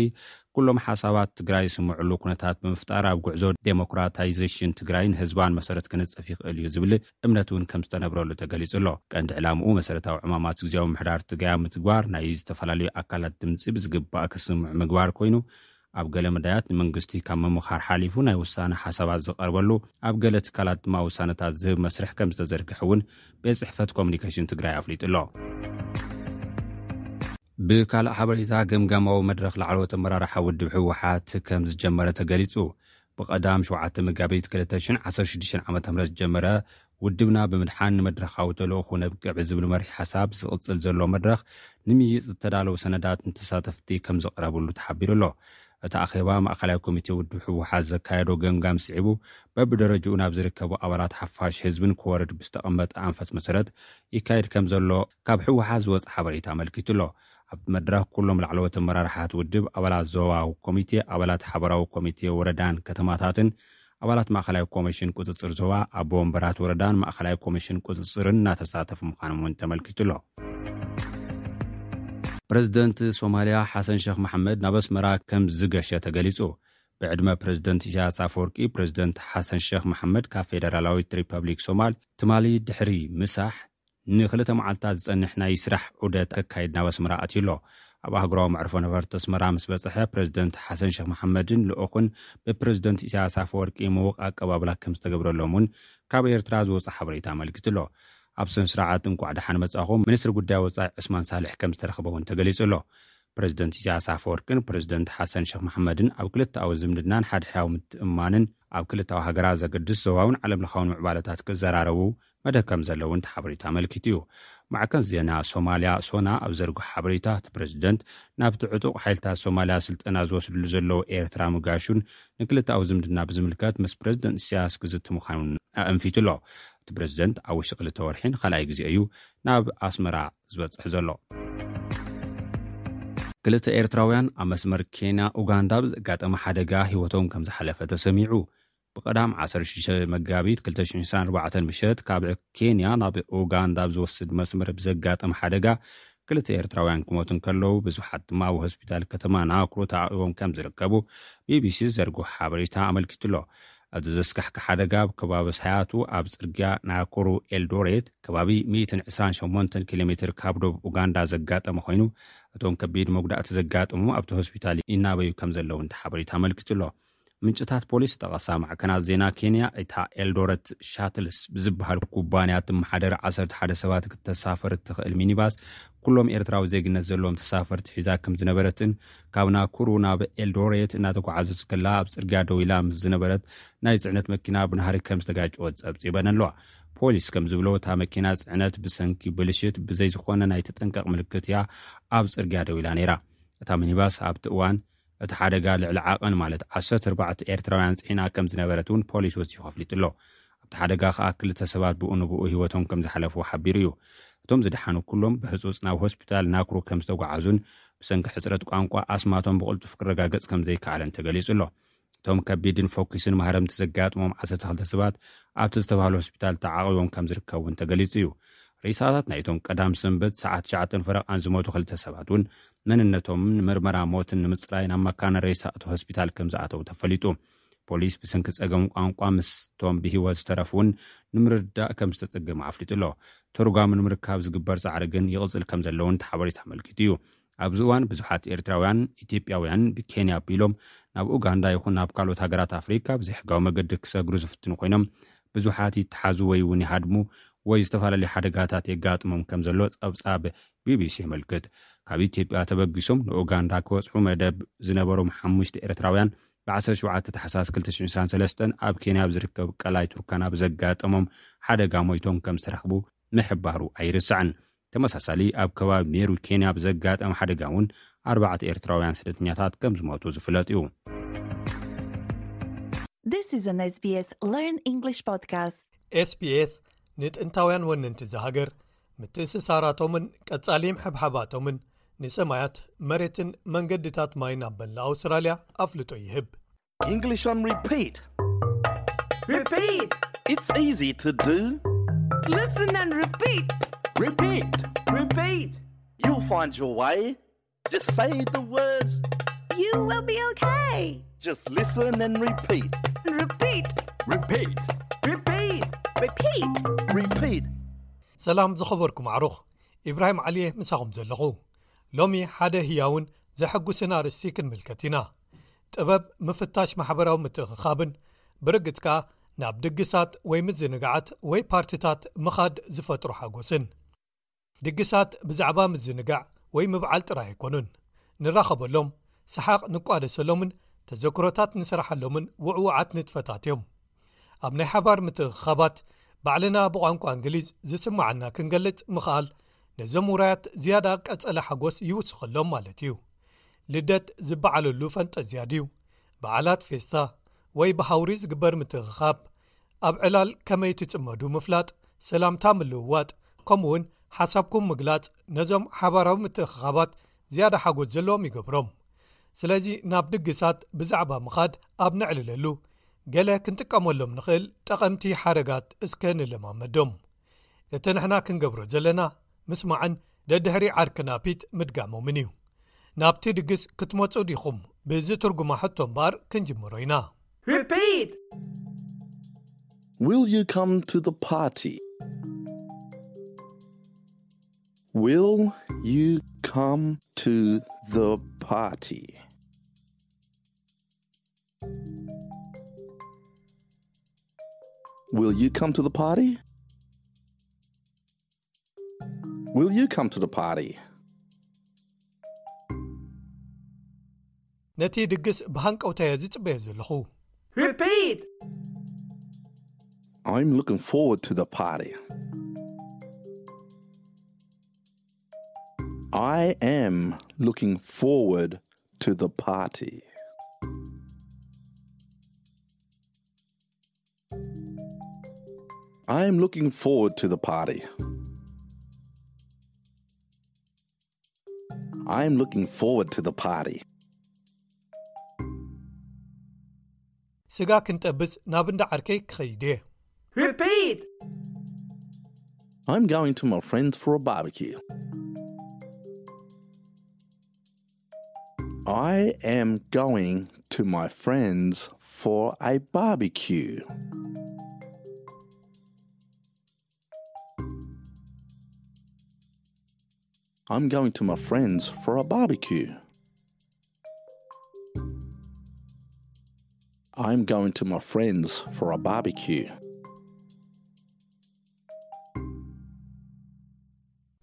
ኩሎም ሓሳባት ትግራይ ዝስምዕሉ ኩነታት ብምፍጣር ኣብ ጉዕዞ ዴሞክራታይዜሽን ትግራይን ህዝባን መሰረት ክነጽፍ ይኽእል እዩ ዝብል እምነት እውን ከም ዝተነብረሉ ተገሊጹ ኣሎ። ቀንዲ ዕላምኡ መሰረታዊ ዕማማት ግዜያዊ ምምሕዳር ትግራይ ኣብ ምትግባር ናይ ዝተፈላለዩ ኣካላት ድምፂ ብዝግባእ ክስምዑ ምግባር ኮይኑ፣ ኣብ ገለ መዳያት ንመንግስቲ ካብ ምምኻር ሓሊፉ ናይ ውሳነ ሓሳባት ዝቐርበሉ፣ ኣብ ገለ ትካላት ድማ ውሳነታት ዝህብ መስርሕ ከም ዝተዘርግሐ እውን ቤት ጽሕፈት ኮሚኒኬሽን ትግራይ ኣፍሊጡ ኣሎ። ብካልእ ሓበሬታ፣ ገምጋማዊ መድረኽ ላዕለዎት ኣመራርሓ ውድብ ህወሓት ከም ዝጀመረ ተገሊጹ። ብቐዳም ሸውዓተ መጋቢት ክልተ ሽሕን ዓሰርተ ሽዱሽተን ዓመተ ምህረት ዝጀመረ፣ ውድብና ብምድሓን ንመድረኻዊ ተልእኾ ነብቅዕ ብዝብል መሪሕ ሓሳብ ዝቕጽል ዘሎ መድረኽ ንምይይጥ ዝተዳለዉ ሰነዳት ንተሳተፍቲ ከም ዝቐረብሉ ተሓቢሩ ኣሎ። እቲ ኣኼባ ማእኸላይ ኮሚቴ ውድብ ህወሓት ዘካየዶ ገምጋም ስዒቡ፣ በብደረጅኡ ናብ ዝርከቡ ኣባላት ሓፋሽ ህዝብን ክወርድ ብዝተቐመጠ ኣንፈት መሰረት ይካየድ ከም ዘሎ ካብ ህወሓት ዝወፀ ሓበሬታ ኣመልኪቱ ኣሎ። ኣብቲ መድረኽ ኩሎም ላዕለዎት ኣመራርሓት ውድብ፣ ኣባላት ዞባዊ ኮሚቴ፣ ኣባላት ሓበራዊ ኮሚቴ ወረዳን ከተማታትን፣ ኣባላት ማእኸላይ ኮሚሽን ቁፅፅር ዞባ፣ ኣቦ ወንበራት ወረዳን ማእኸላይ ኮሚሽን ቁፅፅርን እናተሳተፉ ምዃኖም እውን ተመልኪቱ ኣሎ። ፕሬዝደንት ሶማልያ ሓሰን ሸኽ መሓመድ ናብ ኣስመራ ከም ዝገሸ ተገሊጹ። ብዕድመ ፕሬዝደንት ኢሳያስ ኣፈወርቂ፣ ፕሬዝደንት ሓሰን ሸኽ መሓመድ ካብ ፌደራላዊት ሪፐብሊክ ሶማል ትማሊ ድሕሪ ምሳሕ ንክልተ መዓልታት ዝጸንሕ ናይ ስራሕ ዑደት ከካይድ ናብ ኣስመራ ኣትዩ ኣሎ። ኣብ ኣህጉራዊ መዕርፎ ነፈርቲ ኣስመራ ምስ በጽሐ፣ ፕሬዝደንት ሓሰን ሸኽ መሓመድን ልኡኹን ብፕሬዝደንት ኢሳያስ ኣፈወርቂ ምዉቕ ኣቀባብላ ከም ዝተገብረሎም እውን ካብ ኤርትራ ዝወጸ ሓበሬታ ኣመልኪቱ ኣሎ። ኣብ ስነ ስርዓት እንቋዕ ደሓን መጻኹም፣ ሚኒስትሪ ጉዳይ ወጻኢ ዑስማን ሳልሕ ከም ዝተረኽበ እውን ተገሊጹ ኣሎ። ፕሬዝደንት ኢሳያስ ኣፈወርቅን ፕሬዝደንት ሓሰን ሸኽ መሓመድን ኣብ ክልተኣዊ ዝምድናን ሓድሕዳዊ ምትእምማንን ኣብ ክልተኣዊ ሃገራት ዘገድስ ዞባውን ዓለም ለኻውን ምዕባለታት ክዘራረቡ መደብ ከም ዘለውን እቲ ሓበሬታ ኣመልኪቱ እዩ። ማዕከን ዜና ሶማልያ ሶና ኣብ ዘርግሖ ሓበሬታ፣ እቲ ፕሬዝደንት ናብቲ ዕጡቕ ሓይልታት ሶማልያ ስልጠና ዝወስድሉ ዘለዉ ኤርትራ ምጋሹን ንክልተኣዊ ዝምድና ብዝምልከት ምስ ፕሬዝደንት ኢሳያስ ክዝቲ ምዃኑን ኣእንፊቱ ኣሎ። እቲ ፕሬዝደንት ኣብ ውሽጢ ክልተ ወርሒ ንኻልኣይ ግዜ እዩ ናብ ኣስመራ ዝበጽሕ ዘሎ። ክልተ ኤርትራውያን ኣብ መስመር ኬንያ ኡጋንዳ ብዘጋጠመ ሓደጋ ህይወቶም ከም ዝሓለፈ ተሰሚዑ። ብቐዳም ዓሰርተ ሽዱሽተ መጋቢት ክልተ ሽሕን ዕስራን ኣርባዕተን ምሸት ካብ ኬንያ ናብ ኡጋንዳ ኣብ ዝወስድ መስመር ብዘጋጠመ ሓደጋ ክልተ ኤርትራውያን ክሞቱ እንከለዉ፣ ብዙሓት ድማ ኣብ ሆስፒታል ከተማ ናኩሩ ተዓቂቦም ከም ዝርከቡ ቢቢሲ ዘርግሖ ሓበሬታ ኣመልኪቱ ኣሎ። ኣብዚ ዘስካሕክሕ ሓደጋ ኣብ ከባቢ ሳያቱ ኣብ ጽርግያ ናኩሩ ኤልዶሬት ከባቢ ሚእትን ዕስራን ሸሞንተን ኪሎ ሜትር ካብ ዶብ ኡጋንዳ ዘጋጠመ ኮይኑ፣ እቶም ከቢድ መጉዳእቲ ዘጋጠሙ ኣብቲ ሆስፒታል ይናበዩ ከም ዘለዉ እንተ ሓበሬታ ኣመልኪቱ ኣሎ። ምንጭታት ፖሊስ ጠቐሳ ማዕከናት ዜና ኬንያ፣ እታ ኤልዶረት ሻትልስ ብዝበሃል ኩባንያ እትመሓደር ዓሰርተ ሓደ ሰባት ክተሳፍር እትኽእል ሚኒባስ ኩሎም ኤርትራዊ ዜግነት ዘለዎም ተሳፈርቲ ሒዛ ከም ዝነበረትን ካብ ናኩሩ ናብ ኤልዶሬት እናተጓዓዘት ከላ ኣብ ጽርግያ ደው ኢላ ምስ ዝነበረት ናይ ጽዕነት መኪና ብናህሪ ከም ዝተጋጨወት ጸብጺበን ኣለዋ። ፖሊስ ከም ዝብሎ እታ መኪና ጽዕነት ብሰንኪ ብልሽት ብዘይ ዝኾነ ናይ ተጠንቀቕ ምልክት እያ ኣብ ጽርግያ ደው ኢላ ነይራ። እታ ሚኒባስ ኣብቲ እዋን እቲ ሓደጋ ልዕሊ ዓቐን ማለት ዓሰርተ ኣርባዕተ ኤርትራውያን ጽዒና ከም ዝነበረት እውን ፖሊስ ወሲኹ ኣፍሊጡ ኣሎ። ኣብቲ ሓደጋ ከኣ ክልተ ሰባት ብኡ ንብኡ ህይወቶም ከም ዝሓለፉ ሓቢሩ እዩ። እቶም ዝደሓኑ ኩሎም ብህጹጽ ናብ ሆስፒታል ናኩሩ ከም ዝተጓዓዙን ብሰንኪ ሕጽረት ቋንቋ ኣስማቶም ብቕልጡፍ ክረጋገጽ ከም ዘይከኣለን ተገሊጹ ኣሎ። እቶም ከቢድን ፎኪስን ማህረምቲ ዘጋጥሞም ዓሰርተ ክልተ ሰባት ኣብቲ ዝተባህለ ሆስፒታል ተዓቒቦም ከም ዝርከቡ እውን ተገሊጹ እዩ። ሬሳታት ናይቶም ቀዳም ሰንበት ሰዓት ትሽዓተ ፈረቓን ዝሞቱ ክልተ ሰባት እውን መንነቶምን ምርመራ ሞትን ንምጽራይ ናብ መካነ ሬሳ እቲ ሆስፒታል ከም ዝኣተዉ ተፈሊጡ። ፖሊስ ብሰንኪ ጸገም ቋንቋ ምስቶም ብህይወት ዝተረፉ እውን ንምርዳእ ከም ዝተጸገመ ኣፍሊጡ ኣሎ። ተርጓሚ ንምርካብ ዝግበር ጻዕሪ ግን ይቕጽል ከም ዘለውን እቲ ሓበሬታ ኣመልኪቱ እዩ። ኣብዚ እዋን ብዙሓት ኤርትራውያን፣ ኢትዮጵያውያን ብኬንያ ኣቢሎም ናብ ኡጋንዳ ይኹን ናብ ካልኦት ሃገራት ኣፍሪካ ብዘይሕጋዊ መገዲ ክሰግሩ ዝፍትኑ ኮይኖም፣ ብዙሓት ይተሓዙ ወይ እውን ይሃድሙ ወይ ዝተፈላለዩ ሓደጋታት የጋጥሞም ከም ዘሎ ጸብጻብ ቢቢሲ የመልክት። ካብ ኢትዮጵያ ተበጊሶም ንኡጋንዳ ክበጽሑ መደብ ዝነበሮም ሓሙሽተ ኤርትራውያን ብ ዓሰርተ ሸውዓተ ታሕሳስ ክልተ ሽሕን ዕስራን ሰለስተን ኣብ ኬንያ ኣብ ዝርከብ ቀላይ ቱርካና ብዘጋጠሞም ሓደጋ ሞይቶም ከም ዝተረኽቡ ምሕባሩ ኣይርሳዕን። ተመሳሳሊ ኣብ ከባቢ ሜሩ ኬንያ ብዘጋጠመ ሓደጋ እውን ኣርባዕተ ኤርትራውያን ስደተኛታት ከም ዝሞቱ ዝፍለጥ እዩ። This is an S B S Learn English podcast. ኤስቢኤስ ንጥንታውያን ወነንቲ እዛ ሃገር ምትእስሳራቶምን ቀጻሊ ምሕብሓባቶምን ንሰማያት መሬትን መንገድታት ማይን ኣብ መላእ ኣውስትራልያ ኣፍልጦ ይህብ። English on repeat. Repeat. It's easy to do. Listen and repeat. Repeat. Repeat. You'll find your way. Just say the words. You will be okay. Just listen and repeat. Repeat. Repeat. Repeat. Repeat. Repeat. ሰላም ዝኸበርኩም ኣዕሩኽ፣ ኢብራሂም ዓሊየ ምሳኹም ዘለኹ። ሎሚ ሓደ ህያውን ዘሐጉስን ኣርእስቲ ክንምልከት ኢና። ጥበብ ምፍታሽ ማሕበራዊ ምትእኽኻብን ብርግጽ ከኣ ናብ ድግሳት ወይ ምዝንጋዓት ወይ ፓርቲታት ምኻድ ዝፈጥሩ ሓጎስን። ድግሳት ብዛዕባ ምዝንጋዕ ወይ ምብዓል ጥራይ ኣይኮኑን። ንራኸበሎም፣ ሰሓቕ ንቋደሰሎምን ተዘክሮታት ንስርሓሎምን ውዕውዓት ንጥፈታት እዮም። ኣብ ናይ ሓባር ምትእኽኻባት ባዕልና ብቋንቋ እንግሊዝ ዝስምዓና ክንገልጽ ምኽኣል ነዞም ውራያት ዝያዳ ቀጸለ ሓጎስ ይውስኸሎም ማለት እዩ። ልደት ዝበዓለሉ ፈንጠዝያ ድዩ? በዓላት ፌስታ ወይ ብሃውሪ ዝግበር ምትእኽኻብ ኣብ ዕላል ከመይ ትጽመዱ ምፍላጥ፣ ሰላምታ ምልውዋጥ፣ ከምኡውን ሓሳብኩም ምግላጽ ነዞም ሓባራዊ ምትእኽኻባት ዝያዳ ሓጎስ ዘለዎም ይገብሮም። ስለዚ ናብ ድግሳት ብዛዕባ ምኻድ ኣብ ነዕልለሉ ገለ ክንጥቀመሎም ንኽእል ጠቐምቲ ሓረጋት እስከ ንለማመዶም። እቲ ንሕና ክንገብሮ ዘለና ምስማዕን ደድሕሪ ዓርክና ፒት ምድጋሞምን እዩ። ናብቲ ድግስ ክትመጹ ዲኹም ብዝትርጉማ ሕቶ እምበኣር ክንጅምሮ ኢና። Repeat. Will you come to the party? Will you come to the party? Will you come to the party? Will you come to the party? ነቲ ድግስ ብሃንቀውታ እየ ዝጽበዮ ዘለኹ። Repeat. I'm looking forward to the party. I am looking forward to the party. I'm looking forward to the party. I'm looking forward to the party. ስጋ ክንጠብስ ናብ እንዳ ዓርከይ ክኸይድ እየ። Repeat. I'm going to my friends for a barbecue. I am going to my friends for a barbecue. I'm going to my friends for a barbecue. I'm going to my friends for a barbecue.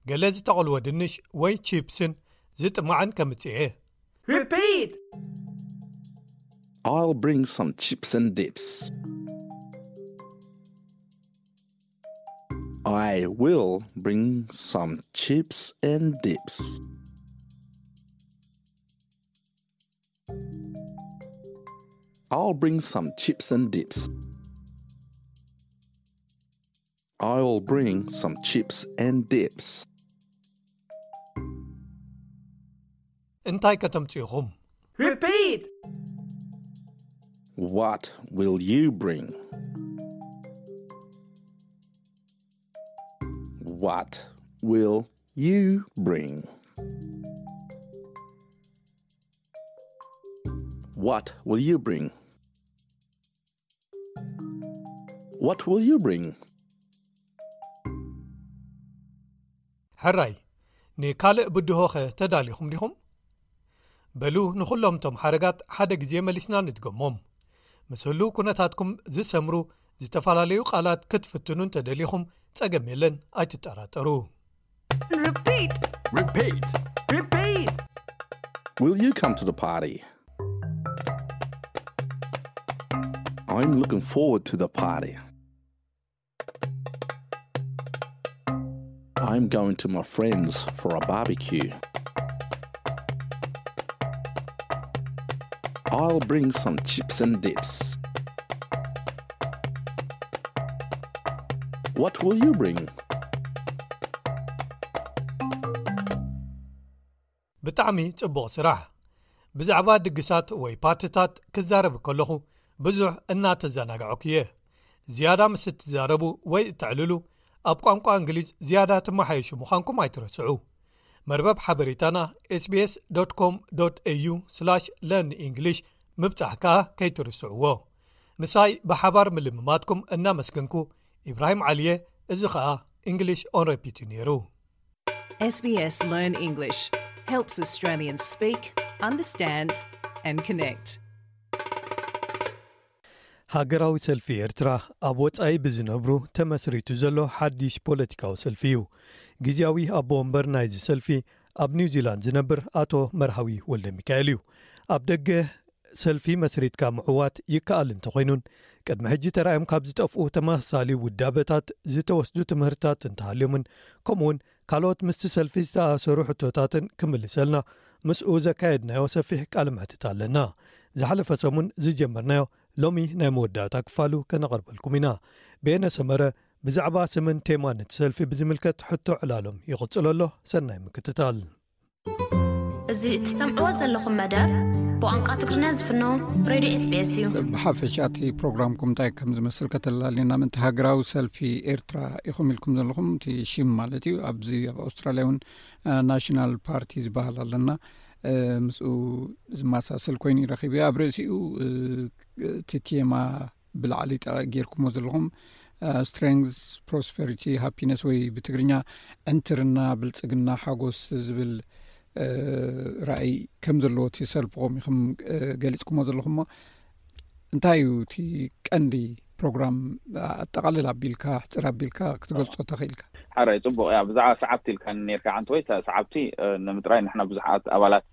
ገለ ዝተቐልወ ድንሽ ወይ ቺፕስን ዝጥማዕን ከምጽእ እየ። Repeat! I'll bring some chips and dips. I will bring some chips and dips. I'll bring some chips and dips. I'll bring some chips and dips. እንታይ ከተምጽኡ ኢኹም? Repeat! What will you bring? What will you bring? What will you bring? What will you bring? ሕራይ፣ ንካልእ ብድሆኸ ተዳሊኹም ዲኹም? በሉ ንኹሎም እቶም ሓረጋት ሓደ ግዜ መሊስና ንድገሞም። ምስ ህሉው ኩነታትኩም ዝሰምሩ ዝተፈላለዩ ቃላት ክትፍትኑ እንተደሊኹም ጸገም የለን፣ ኣይትጠራጠሩ። Repeat. Repeat. Repeat. Will you come to the party? I'm looking forward to the party. I'm going to my friends for a barbecue. I'll bring some chips and dips. What will you bring? ብጣዕሚ ጽቡቕ ስራሕ። ብዛዕባ ድግሳት ወይ ፓርትታት ክዛረብ ከለኹ ብዙሕ እናተዘናጋዕኩ እየ። ዝያዳ ምስ እትዛረቡ ወይ እተዕልሉ፣ ኣብ ቋንቋ እንግሊዝ ዝያዳ ትመሓየሹ ምዃንኩም ኣይትረስዑ። መርበብ ሓበሬታና ኤስቢኤስ ዶት ኮም ዶት ኤዩ ስላሽ ለርን ኢንግሊሽ ምብጻሕ ከኣ ከይትርስዕዎ። ምሳይ ብሓባር ምልምማድኩም እናመስገንኩ፣ ኢብራሂም ዓሊየ፣ እዚ ኸኣ እንግሊሽ ኦን ሬፒት እዩ ነይሩ። SBS Learn English helps Australians speak, understand, and connect. ሃገራዊ ሰልፊ ኤርትራ ኣብ ወጻኢ ብዝነብሩ ተመስሪቱ ዘሎ ሓድሽ ፖለቲካዊ ሰልፊ እዩ። ግዝያዊ ኣቦ ወንበር ናይዚ ሰልፊ ኣብ ኒውዚላንድ ዝነብር ኣቶ መርሃዊ ወልደ ሚካኤል እዩ። ኣብ ደገ ሰልፊ መስሪትካ ምዕዋት ይከኣል እንተኾይኑን፣ ቅድሚ ሕጂ ተራእዮም ካብ ዝጠፍኡ ተመሳሳሊ ውዳበታት ዝተወስዱ ትምህርትታት እንተሃልዮምን፣ ከምኡውን ካልኦት ምስቲ ሰልፊ ዝተኣሰሩ ሕቶታትን ክምልሰልና ምስኡ ዘካየድናዮ ሰፊሕ ቃለ መሕትት ኣለና። ዝሓለፈ ሰሙን ዝጀመርናዮ ሎሚ ናይ መወዳእታ ክፋሉ ከነቐርበልኩም ኢና። በየነ ሰመረ ብዛዕባ ስምን ቴማን እቲ ሰልፊ ብዝምልከት ሕቶ ዕላሎም ይቕጽሎ ኣሎ። ሰናይ ምክትታል። እዚ እትሰምዕዎ ዘለኹም መደብ ብቋንቋ ትግርኛ ዝፍኖ ሬድዮ ኤስቢኤስ እዩ። ብሓፈሻ እቲ ፕሮግራምኩም እንታይ ከም ዝመስል ከተላልየና ምእንቲ፣ ሃገራዊ ሰልፊ ኤርትራ ኢኹም ኢልኩም ዘለኹም፣ እቲ ሽም ማለት እዩ። ኣብዚ ኣብ ኣውስትራልያ እውን ናሽናል ፓርቲ ዝበሃል ኣለና፣ ምስኡ ዝመሳሰል ኮይኑ ይረኺቡ። ኣብ ርእሲኡ እቲ ቴማ ብላዕሊ ጠ- ጌርኩሞ ዘለኹም ስትሬንግስ፣ ፕሮስፐሪቲ፣ ሃፒነስ ወይ ብትግርኛ ዕንትርና፣ ብልጽግና፣ ሓጎስ ዝብል ራእይ ከም ዘለዎ እቲ ሰልፍኹም ኢኹም ገሊጽኩሞ ዘለኹም። እንታይ እዩ እቲ ቀንዲ ፕሮግራም? ኣጠቓልል ኣቢልካ፣ ሕጽር ኣቢልካ ክትገልጾ ተኽእልካ? ሓራይ ጽቡቕ እያ። ብዛዕባ ሰዓብቲ ኢልካ ነርካ ዓንተ ወይ ሰዓብቲ ንምጥራይ ንሕና ብዙሓት ኣባላት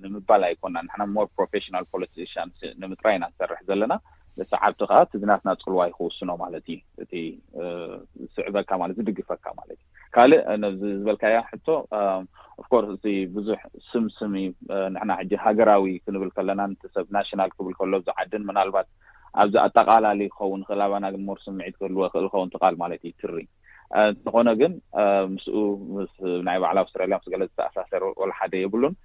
ንምባል ኣይኮና፣ ንሕና ሞር ፕሮፌሽናል ፖለቲሽንስ ንምጥራይ ኢና ንሰርሕ ዘለና። ሰዓብቲ ከዓ እቲ ዝናትና ጽልዋ ይክውስኖ ማለት እዩ። እቲ ስዕበካ ማለት ዝድግፈካ ማለት እዩ። ካልእ ነዚ ዝበልካያ ሕቶ ኦፍኮርስ እቲ ብዙሕ ስምስም እዩ። ንሕና ሕጂ ሃገራዊ ክንብል ከለና ንትሰብ ናሽናል ክብል ከሎ ኣብዚ ዓድን ምናልባት ኣብዚ ኣጠቃላሊ ክኸውን ይኽእል ኣባና ግን ሞር ስምዒት ክህልዎ ይኽእል ኸውን ትቃል ማለት እዩ ትሪ። እንተኾነ ግን ምስኡ ምስ ናይ ባዕላ ኣውስትራልያ ምስ ገለ ዝተኣሳሰር ወላ ሓደ የብሉን።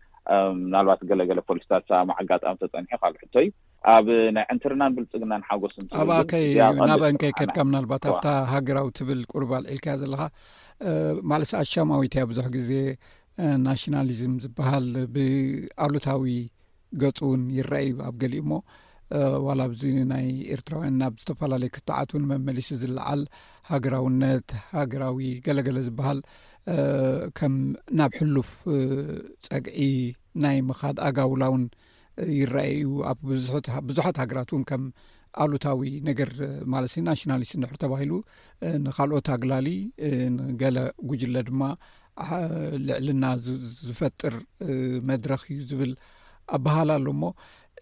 ምናልባት ገለገለ ፖሊስታት ሰላም ኣጋጣሚ ተፀኒሑ ካልእ ሕቶ እዩ። ኣብ ናይ ዕንትርናን ብልፅግናን ሓጎስን ትብል ኣብኣ ግን ከይ እዚኣ ቀንዲ ናበን ከይ ስራሕና ከድካ ምናልባት እዋ። ኣብታ ሃገራዊ ትብል ቁርብ ኣልዒልካያ ዘለኻ ማለት ኣሻማዊት እያ። ብዙሕ ግዜ ናሽናሊዝም ዝበሃል ብኣሉታዊ ገጹ እውን ይረኣይ ኣብ ገሊኡ እሞ፣ እ፣ ዋላ ኣብዚ ናይ ኤርትራውያን ናብ ዝተፈላለዩ ክትዓት እውን መመሊሱ ዝለዓል ሃገራውነት፣ ሃገራዊ ገለገለ ዝበሃል፣ እ፣ ከም ናብ ሕሉፍ፣ እ፣ ጸግዒ ናይ ምኻድ ኣጋውላ እውን ይረኣይ እዩ። ኣብ ብዙሐት፣ ብዙሓት ሃገራት እውን ከም ኣሉታዊ ነገር ማለት እዩ፣ ናሽናሊስት እንድሕር ተባሂሉ፣ እ፣ ንኻልኦት ኣግላሊ፣ እ፣ ንገለ ጉጅለ ድማ፣ አ፣ ልዕልና ዝ-፣ ዝፈጥር፣ እ፣ መድረኽ እዩ ዝብል ኣበሃላ ኣሎ እሞ፣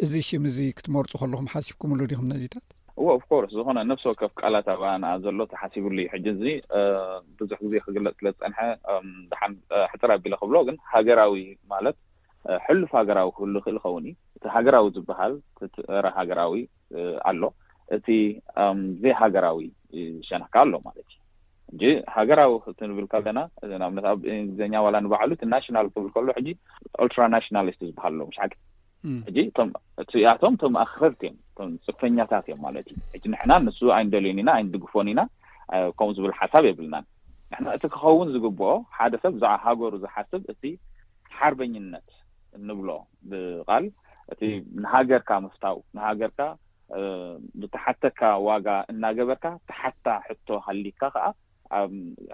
እዚ ሽም እዚ ክትመርጹ ከለኹም ሓሲብኩምሉ ዲኹም ነዚታት? እወ፣ ኦፍ ኮርስ፣ ዝኾነ ነፍሲ ወከፍ ቃላት ኣብኣ ንኣ ዘሎ ተሓሲብሉ እዩ። ሕጂ እዚ፣ እ፣ ብዙሕ ግዜ ክግለጽ ስለ ዝጸንሐ፣ እም፣ ደሓን፣ እ፣ ሕጽር ኣቢለ ክብሎ፣ ግን ሃገራዊ ማለት፣ እ፣ ሕሉፍ ሃገራዊ ክህሉ ይኽእል ይኸውን እዩ። እቲ ሃገራዊ ዝበሃል፣ እቲ ጸረ ሃገራዊ፣ እ፣ ኣሎ። እቲ፣ እም፣ ዘይሃገራዊ፣ እ፣ ሸነኽ ከኣ ኣሎ ማለት እዩ። ሕጂ ሃገራዊ ክትብል ከለና፣ ንኣብነት ኣብ እንግሊዝኛ ዋላ ንባዕሉ እቲ ናሽናል ክብል ከሎ፣ ሕጂ ኦልትራ ናሽናሊስት ዝበሃል ኣሎ፣ ምሽ ሓቂ? እም። ሕጂ እቶም፣ እቲኣቶም እቶም ኣኽረርቲ እዮም፣ እቶም ጽንፈኛታት እዮም ማለት እዩ። ሕጂ ንሕና ንሱ ኣይንደልዮን ኢና፣ ኣይንድግፎን ኢና፣ እ፣ ከምኡ ዝብል ሓሳብ የብልናን። ንሕና እቲ ክኸውን ዝግብኦ፣ ሓደ ሰብ ብዛዕባ ሃገሩ ዝሓስብ፣ እቲ ሓርበኝነት እንብሎ ብቓል፣ እቲ ንሃገርካ ምፍታው፣ ንሃገርካ፣ እ፣ ብተሓተካ ዋጋ እናገበርካ፣ ተሓታ ሕቶ ሃሊካ ከኣ፣ ኣብ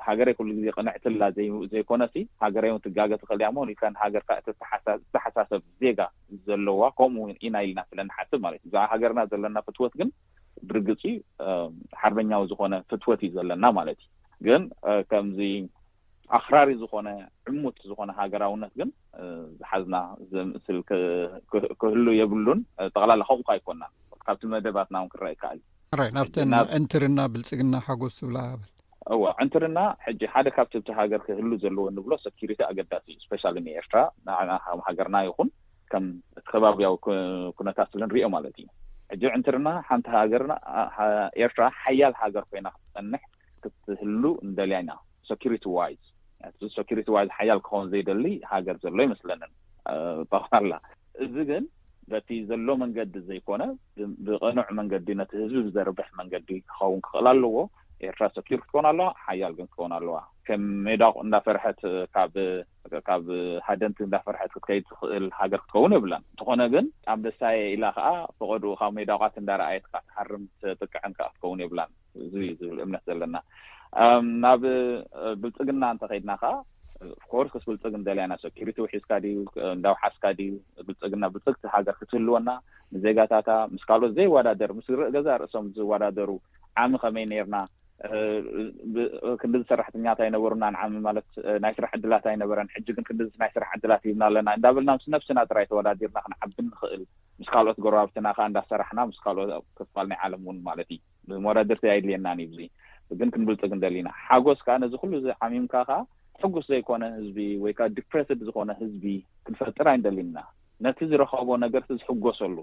ሃገረይ ኩሉ ግዜ ቅንዕትላ ዘይ-፣ ዘይኮነሲ፣ ሃገረይ እውን ትጋገ ትኽእል እያ እሞ፣ ኢልካ ንሃገርካ እተተሓሳ-፣ እተሓሳሰብ ዜጋ ዘለዋ፣ ከምኡ ኢና ኢልና ስለ ንሓስብ ማለት እዩ። ብዛዕባ ሃገርና ዘለና ፍትወት ግን ብርግጽ እዩ፣ እ፣ ሓርበኛዊ ዝኾነ ፍትወት እዩ ዘለና ማለት እዩ። ግን፣ እ፣ ከምዚ ኣኽራሪ ዝኾነ፣ ዕሙት ዝኾነ ሃገራውነት ግን፣ እ፣ ዝሓዝና ዘምስል ክ-፣ ክ-፣ ክህሉ የብሉን። እ፣ ጠቕላላ ከምኡ ከ ኣይኮናን። ካብቲ መደባትና እውን ክረአ ይከኣል እዩ። ሕራይ፣ ናብተን ናብ ዕንትርና፣ ብልጽግና፣ ሓጎስ ዝብላ በል። እዋ፣ ዕንትርና ሕጂ ሓደ ካብቲ ኣብቲ ሃገር ክህሉ ዘለዎ እንብሎ ሰኪሪቲ ኣገዳሲ እዩ። ስፔሻሊ ንኤርትራ፣ ንዓና ከም ሃገርና ይኹን ከም እቲ ከባብያዊ ኩ-፣ ኩነታት ስለ ንሪኦ ማለት እዩ። ሕጂ ዕንትርና ሓንቲ ሃገርና፣ ኣ-፣ ሃ-፣ ኤርትራ ሓያል ሃገር ኮይና ክትጸንሕ ክትህሉ እንደልያ ኢና። ሰኪሪቲ ዋይዝ፣ እቲ ሰኪሪቲ ዋይዝ ሓያል ክኸውን ዘይደሊ ሃገር ዘሎ ይመስለንን፣ እ፣ ጠቕላላ። እዚ ግን በቲ ዘሎ መንገዲ ዘይኮነ፣ ብ-፣ ብቕኑዕ መንገዲ፣ ነቲ ህዝቢ ብዘርብሕ መንገዲ ክኸውን ክኽእል ኣለዎ። ኤርትራ ሰኪር ክትኮን ኣለዋ፣ ሓያል ግን ክትኮን ኣለዋ። ከም ሜዳቕ እንዳፈርሐት ካብ፣ ካብ ሃደንቲ እንዳፈርሐት ክትከይድ ትኽእል ሃገር ክትከውን የብላን። እንተኾነ ግን ኣንበሳየ ኢላ ከኣ ፈቐድኡ ካብ ሜዳቋት እንዳረኣየት ከኣ ትሃርም ትጥቅዕን ከኣ ክትከውን የብላን። እዚ እዩ ዝብል እምነት ዘለና። እም፣ ናብ፣ እ፣ ብልጽግና እንተኸይድና ከኣ፣ ኦፍኮርስ፣ ክስ ብልጽግ እንደልያና፣ ሰኪሪቲ ውሒስካ ድዩ፣ እንዳውሓስካ ድዩ፣ ብልጽግና፣ ብልጽግቲ ሃገር ክትህልወና፣ ንዜጋታታ ምስ ካልኦት ዘይወዳደር፣ ምስ ር-፣ ገዛ ርእሶም ዝወዳደሩ፣ ዓሚ ከመይ ነይርና፣ እ፣ ብ-፣ ክንድዚ ሰራሕተኛታት ኣይነበሩናን፣ ዓሚ ማለት፣ እ፣ ናይ ስራሕ ዕድላት ኣይነበረን፣ ሕጂ ግን ክንድዚ ናይ ስራሕ ዕድላት ሂብና ኣለና እንዳበልና ምስ ነብስና ጥራይ ተወዳዲርና ክንዓቢ ንኽእል፣ ምስ ካልኦት ጎረባብትና ከኣ እንዳሰራሕና፣ ምስ ካልኦት ኣብ ክፋል ናይ ዓለም እውን ማለት እዩ። መወዳድርቲ ኣይድልየናን እዩ። እዚ ግን ክንብልጽግ እንደሊና። ሓጎስ ከኣ ነዚ ኩሉ እዚ ዓሚምካ ከኣ ሕጉስ ዘይኮነ ህዝቢ ወይ ከኣ ዲፕረስድ ዝኾነ ህዝቢ ክንፈጥር ኣይንደሊና። ነቲ ዝረኸቦ ነገር እቲ ዝሕጎሰሉ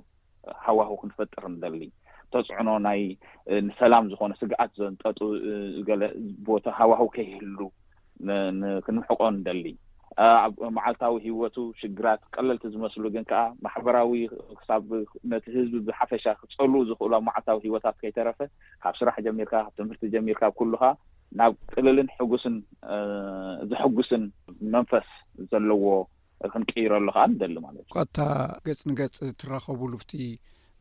ሃዋሁ ክንፈጥር ንደሊ። ተጽዕኖ ናይ፣ እ፣ ንሰላም ዝኾነ ስግኣት ዘንጠጡ፣ እ፣ ገለ ቦታ ሃዋሁ ከይህሉ ን-፣ ን-፣ ክንምሕቆ ንደሊ። እ፣ ኣብ መዓልታዊ ህይወቱ ሽግራት ቀለልቲ ዝመስሉ ግን ከኣ ማሕበራዊ ክሳብ ነቲ ህዝቢ ብሓፈሻ ክጸልዉ ዝኽእሉ ኣብ መዓልታዊ ህይወታት ከይተረፈ ካብ ስራሕ ጀሚርካ፣ ካብ ትምህርቲ ጀሚርካ፣ ኣብ ኩሉኻ ናብ ቅልልን ሕጉስን፣ እ፣ ዘሐጉስን መንፈስ ዘለዎ ክንቅይረሉ ከኣ ንደሊ ማለት እዩ። ቋታ ገጽ ንገጽ ትራኸቡሉ ኣብቲ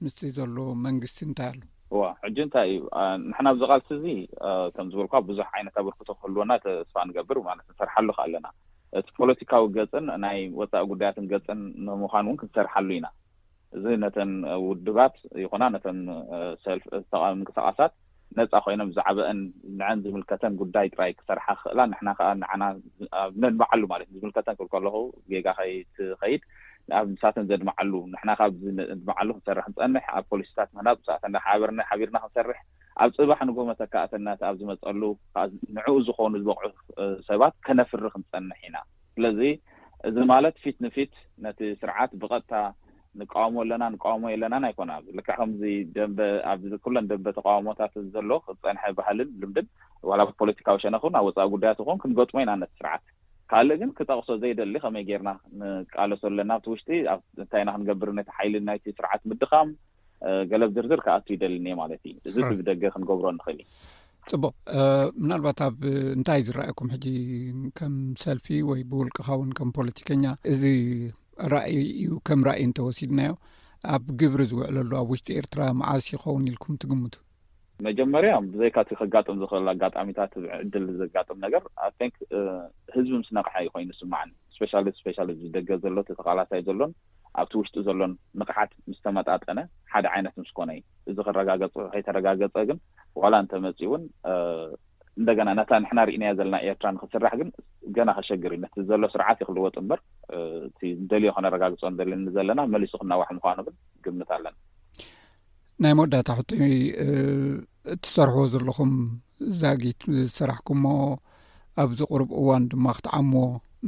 ምስቲ ዘሎ መንግስቲ እንታይ ኣሎ? እዋ፣ ሕጂ እንታይ እዩ? አ፣ ንሕና ኣብዚ ቃልሲ እዚ፣ አ፣ ከም ዝበልኳ ብዙሕ ዓይነት ኣበርክቶ ክህልወና ተስፋ ንገብር ማለት ንሰርሓሉ ከኣ ኣለና። እቲ ፖለቲካዊ ገጽን ናይ ወጻኢ ጉዳያትን ገጽን ንምዃን እውን ክንሰርሓሉ ኢና። እዚ ነተን ውድባት ይኹና ነተን፣ እ፣ ሰልፍ፣ እ፣ ተቓዋሚ ምንቅስቓሳት ነጻ ኮይነን ብዛዕባአን ንዐን ዝምልከተን ጉዳይ ጥራይ ክሰርሓ ክኽእላ፣ ንሕና ከኣ ንዓና ዝ-፣ ኣብ ነድምዓሉ ማለት እዩ። ዝምልከተን ክብል ከለኹ ጌጋ ከይትኸይድ፣ ኣብ ንሳተን ዘድምዓሉ፣ ንሕና ከኣ ኣብዚ ነድምዓሉ ክንሰርሕ ንጸንሕ፣ ኣብ ፖሊሲታት ምህናጽ ብዛዕባተን ሓቢርና፣ ሓቢርና ክንሰርሕ፣ ኣብ ጽባሕ ንግሆ መተካእትነት ኣብ ዝመጸሉ ከኣ ንዕኡ ዝኾኑ ዝበቕዑ፣ እ፣ ሰባት ከነፍሪ ክንጸንሕ ኢና። ስለዚ እዚ ማለት ፊት ንፊት ነቲ ስርዓት ብቐጥታ ንቃወሞ ኣለና፣ ንቃወሞ የለናን ኣይኮነ። ኣብዚ ልክዕ ከምዚ ደንበ፣ ኣብዚ ኩለን ደንበ ተቃውሞታት ዘሎ ዝጸንሐ ባህልን ልምድን፣ ዋላ ብፖለቲካዊ ሸነኽ እውን ኣብ ወጻኢ ጉዳያት ይኹን ክንገጥሞ ኢና ነቲ ስርዓት። ካልእ ግን ክጠቕሶ ዘይደሊ ከመይ ጌርና ንቃለሶ ኣለና ኣብቲ ውሽጢ፣ ኣብ እንታይ ኢና ክንገብር ነቲ ሓይሊ ናይቲ ስርዓት ምድኻም፣ እ፣ ገለ ዝርዝር ክኣቱ ይደልን እየ ማለት እዩ። እዚ ሕራይ። ብደገ ክንገብሮ ንኽእል እዩ። ጽቡቕ። እ፣ ምናልባት ኣብ እንታይ ዝረኣየኩም ሕጂ ከም ሰልፊ ወይ ብውልቅኻ እውን ከም ፖለቲከኛ እዚ ራእይ እዩ። ከም ራእይ እንተወሲድናዮ፣ ኣብ ግብሪ ዝውዕለሉ ኣብ ውሽጢ ኤርትራ መዓስ ይኸውን ኢልኩም ትግምቱ? መጀመርያ፣ ብዘይካ እቲ ከጋጥም ዝኽእል ኣጋጣሚታት፣ ዕድል ዘጋጥም ነገር፣ I think፣ እ፣ ህዝቢ ምስ ነቕሐ እዩ ኮይኑ ዝስማዓኒ። ስፔሻሊ፣ ስፔሻሊ እዚ ደገ ዘሎ፣ እቲ ተቓላሳይ ዘሎን ኣብቲ ውሽጢ ዘሎን ንቕሓት ምስ ተመጣጠነ፣ ሓደ ዓይነት ምስ ኮነ እዩ። እዚ ክረጋገጽ ከይተረጋገጸ ግን፣ ዋላ እንተመጺኡ እውን፣ እ፣ እንደገና ነታ ንሕና ርኢናያ ዘለና ኤርትራ ንክስራሕ ግን ገና ከሸግር እዩ። ነቲ ዘሎ ስርዓት እዩ ክልወጥ እምበር፣ እ፣ እቲ ንደልዮ ከነረጋግጾ ንደሊ ዘለና መሊሱ ክናዋሕ ምዃኑ ግን ግምት ኣለና። ናይ መወዳእታ ሕቶይ፣ እ፣ እትሰርሕዎ ዘለኹም ዛጊት ዝሰራሕኩሞ ኣብዚ ቁሩብ እዋን ድማ ክትዓምዎ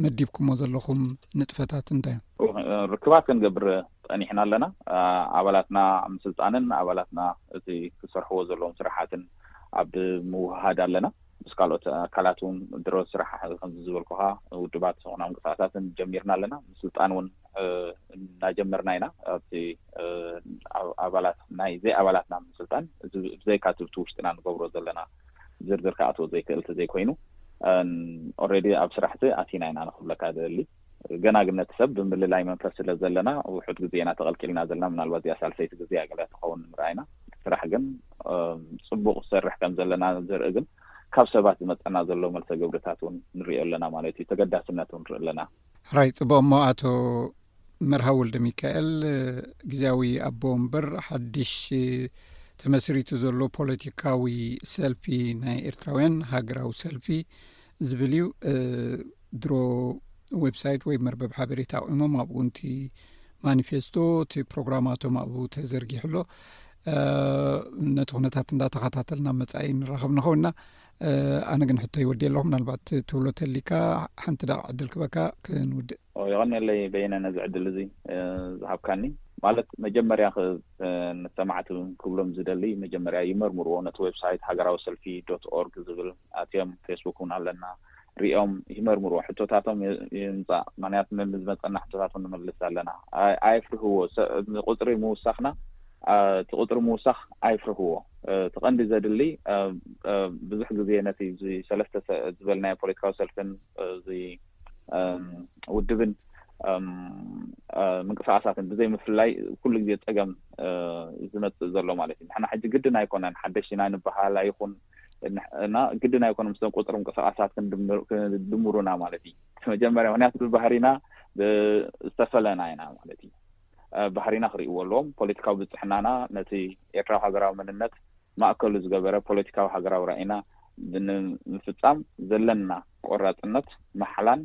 መዲብኩሞ ዘለኹም ንጥፈታት እንታይ እዮም? እ፣ ርክባት ክንገብር ጸኒሕና ኣለና። እ፣ ኣባላትና ኣብ ምስልጣንን ኣባላትና እቲ ክሰርሕዎ ዘለዎም ስራሓትን ኣብ ምውህሃድ ኣለና። ምስ ካልኦት ኣካላት እውን ድሮ ስራሕ ከምዚ ዝበልኩኻ ውድባት ዝኾና ምንቅስቃሳትን ጀሚርና ኣለና። ምስልጣን እውን፣ እ፣ እናጀመርና ኢና። ኣብቲ፣ እ፣ ኣብ-፣ ኣባላት ናይ ዘይ ኣባላትና ምስልጣን እዚ ብዘይካ እቲ ውሽጥና ንገብሮ ዘለና ዝርዝር ክኣትዎ ዘይክእል እንተዘይኮይኑ፣ ኦልሬዲ ኣብ ስራሕቲ ኣቲና ኢና ንክብለካ ደሊ። ገና ግን ነቲ ሰብ ብምልላይ መንፈስ ስለ ዘለና ውሑድ ግዜ ኢና ተቐልቂልና ዘለና። ምናልባት እዚኣ ሳልሰይቲ ግዜ እያ ገለ ትኸውን ምርኣይና። ስራሕ ግን፣ እ፣ ጽቡቕ ዝሰርሕ ከም ዘለና ዘርኢ ግን ካብ ሰባት ዝመጸና ዘሎ መልሰ ግብርታት እውን ንሪኦ ኣለና ማለት እዩ። ተገዳስነት እውን ንርኢ ኣለና። ሕራይ ጽቡቕ። እሞ ኣቶ መርሃ ወልደ ሚካኤል፣ እ፣ ግዜያዊ ኣቦ ወንበር ሓድሽ፣ እ፣ ተመስሪቱ ዘሎ ፖለቲካዊ ሰልፊ ናይ ኤርትራውያን ሃገራዊ ሰልፊ ዝብል እዩ። እ፣ ድሮ ዌብሳይት ወይ መርበብ ሓበሬታ ኣቑሞም፣ ኣብኡ እቲ ማኒፌስቶ፣ እቲ ፕሮግራማቶም ኣብኡ ተዘርጊሑ ኣሎ። እ፣ ነቲ ኩነታት እንዳተኸታተልና መጻኢ ንራኸብ ንኸውንና። እ፣ ኣነ ግን ሕቶ ይወዲ ኣለኹ። ምናልባት ትብሎ ተሊካ ሓንቲ ደቂቕ ዕድል ክበካ ክንውድእ። ኦ፣ የቐንየለይ በየነ ነዚ ዕድል እዚ፣ እ፣ ዝሃብካኒ። ማለት መጀመርያ ኽ-፣ እ፣ ንሰማዕቲ ክብሎም ዝደሊ፣ መጀመርያ ይመርምርዎ ነቲ ዌብሳይት ሃገራዊ ሰልፊ ዶት ኦርግ ዝብል ኣትዮም፣ ፌስቡክ እውን ኣለና፣ ሪኦም ይመርምርዎ። ሕቶታቶም ይ-፣ ይምጻእ። ምኽንያቱ ንዝመጸና ሕቶታት እውን ንመልስ ኣለና። ኣይ-፣ ኣይፍርህዎ። ሰ-፣ ንቁጽሪ ምውሳኽና፣ ኣ፣ እቲ ቁጽሪ ምውሳኽ ኣይፍርህዎ። እ፣ እቲ ቀንዲ ዘድሊ፣ እ፣ እ፣ ብዙሕ ግዜ ነቲ እዚ ሰለስተ ሰ-፣ ዝበልናዮ ፖለቲካዊ ሰልፍን፣ እ፣ እዚ፣ እም፣ ውድብን፣ እም፣ እ፣ ምንቅስቃሳትን ብዘይ ምፍላይ ኩሉ ግዜ ጸገም፣ እ፣ ዝመጽእ ዘሎ ማለት እዩ። ንሕና ሕጂ ግድን ኣይኮነን ሓደሽቲ ኢና ንበሃል ኣይኹን፣ ንሕ-፣ እና ግድን ኣይኮነን ምስቶም ቁጽሪ ምንቅስቃሳት ክንድምር-፣ ክንድምሩና ማለት እዩ። መጀመርያ ምኽንያቱ ብባህሪና ብ-፣ ዝተፈለና ኢና ማለት እዩ። እ፣ ባህሪና ክርእይዎ ኣለዎም። ፖለቲካዊ ብጽሕናና ነቲ ኤርትራዊ ሃገራዊ መንነት ማእከሉ ዝገበረ ፖለቲካዊ ሃገራዊ ራኢና ንምፍጻም ዘለና ቆራጽነት፣ ማሕላን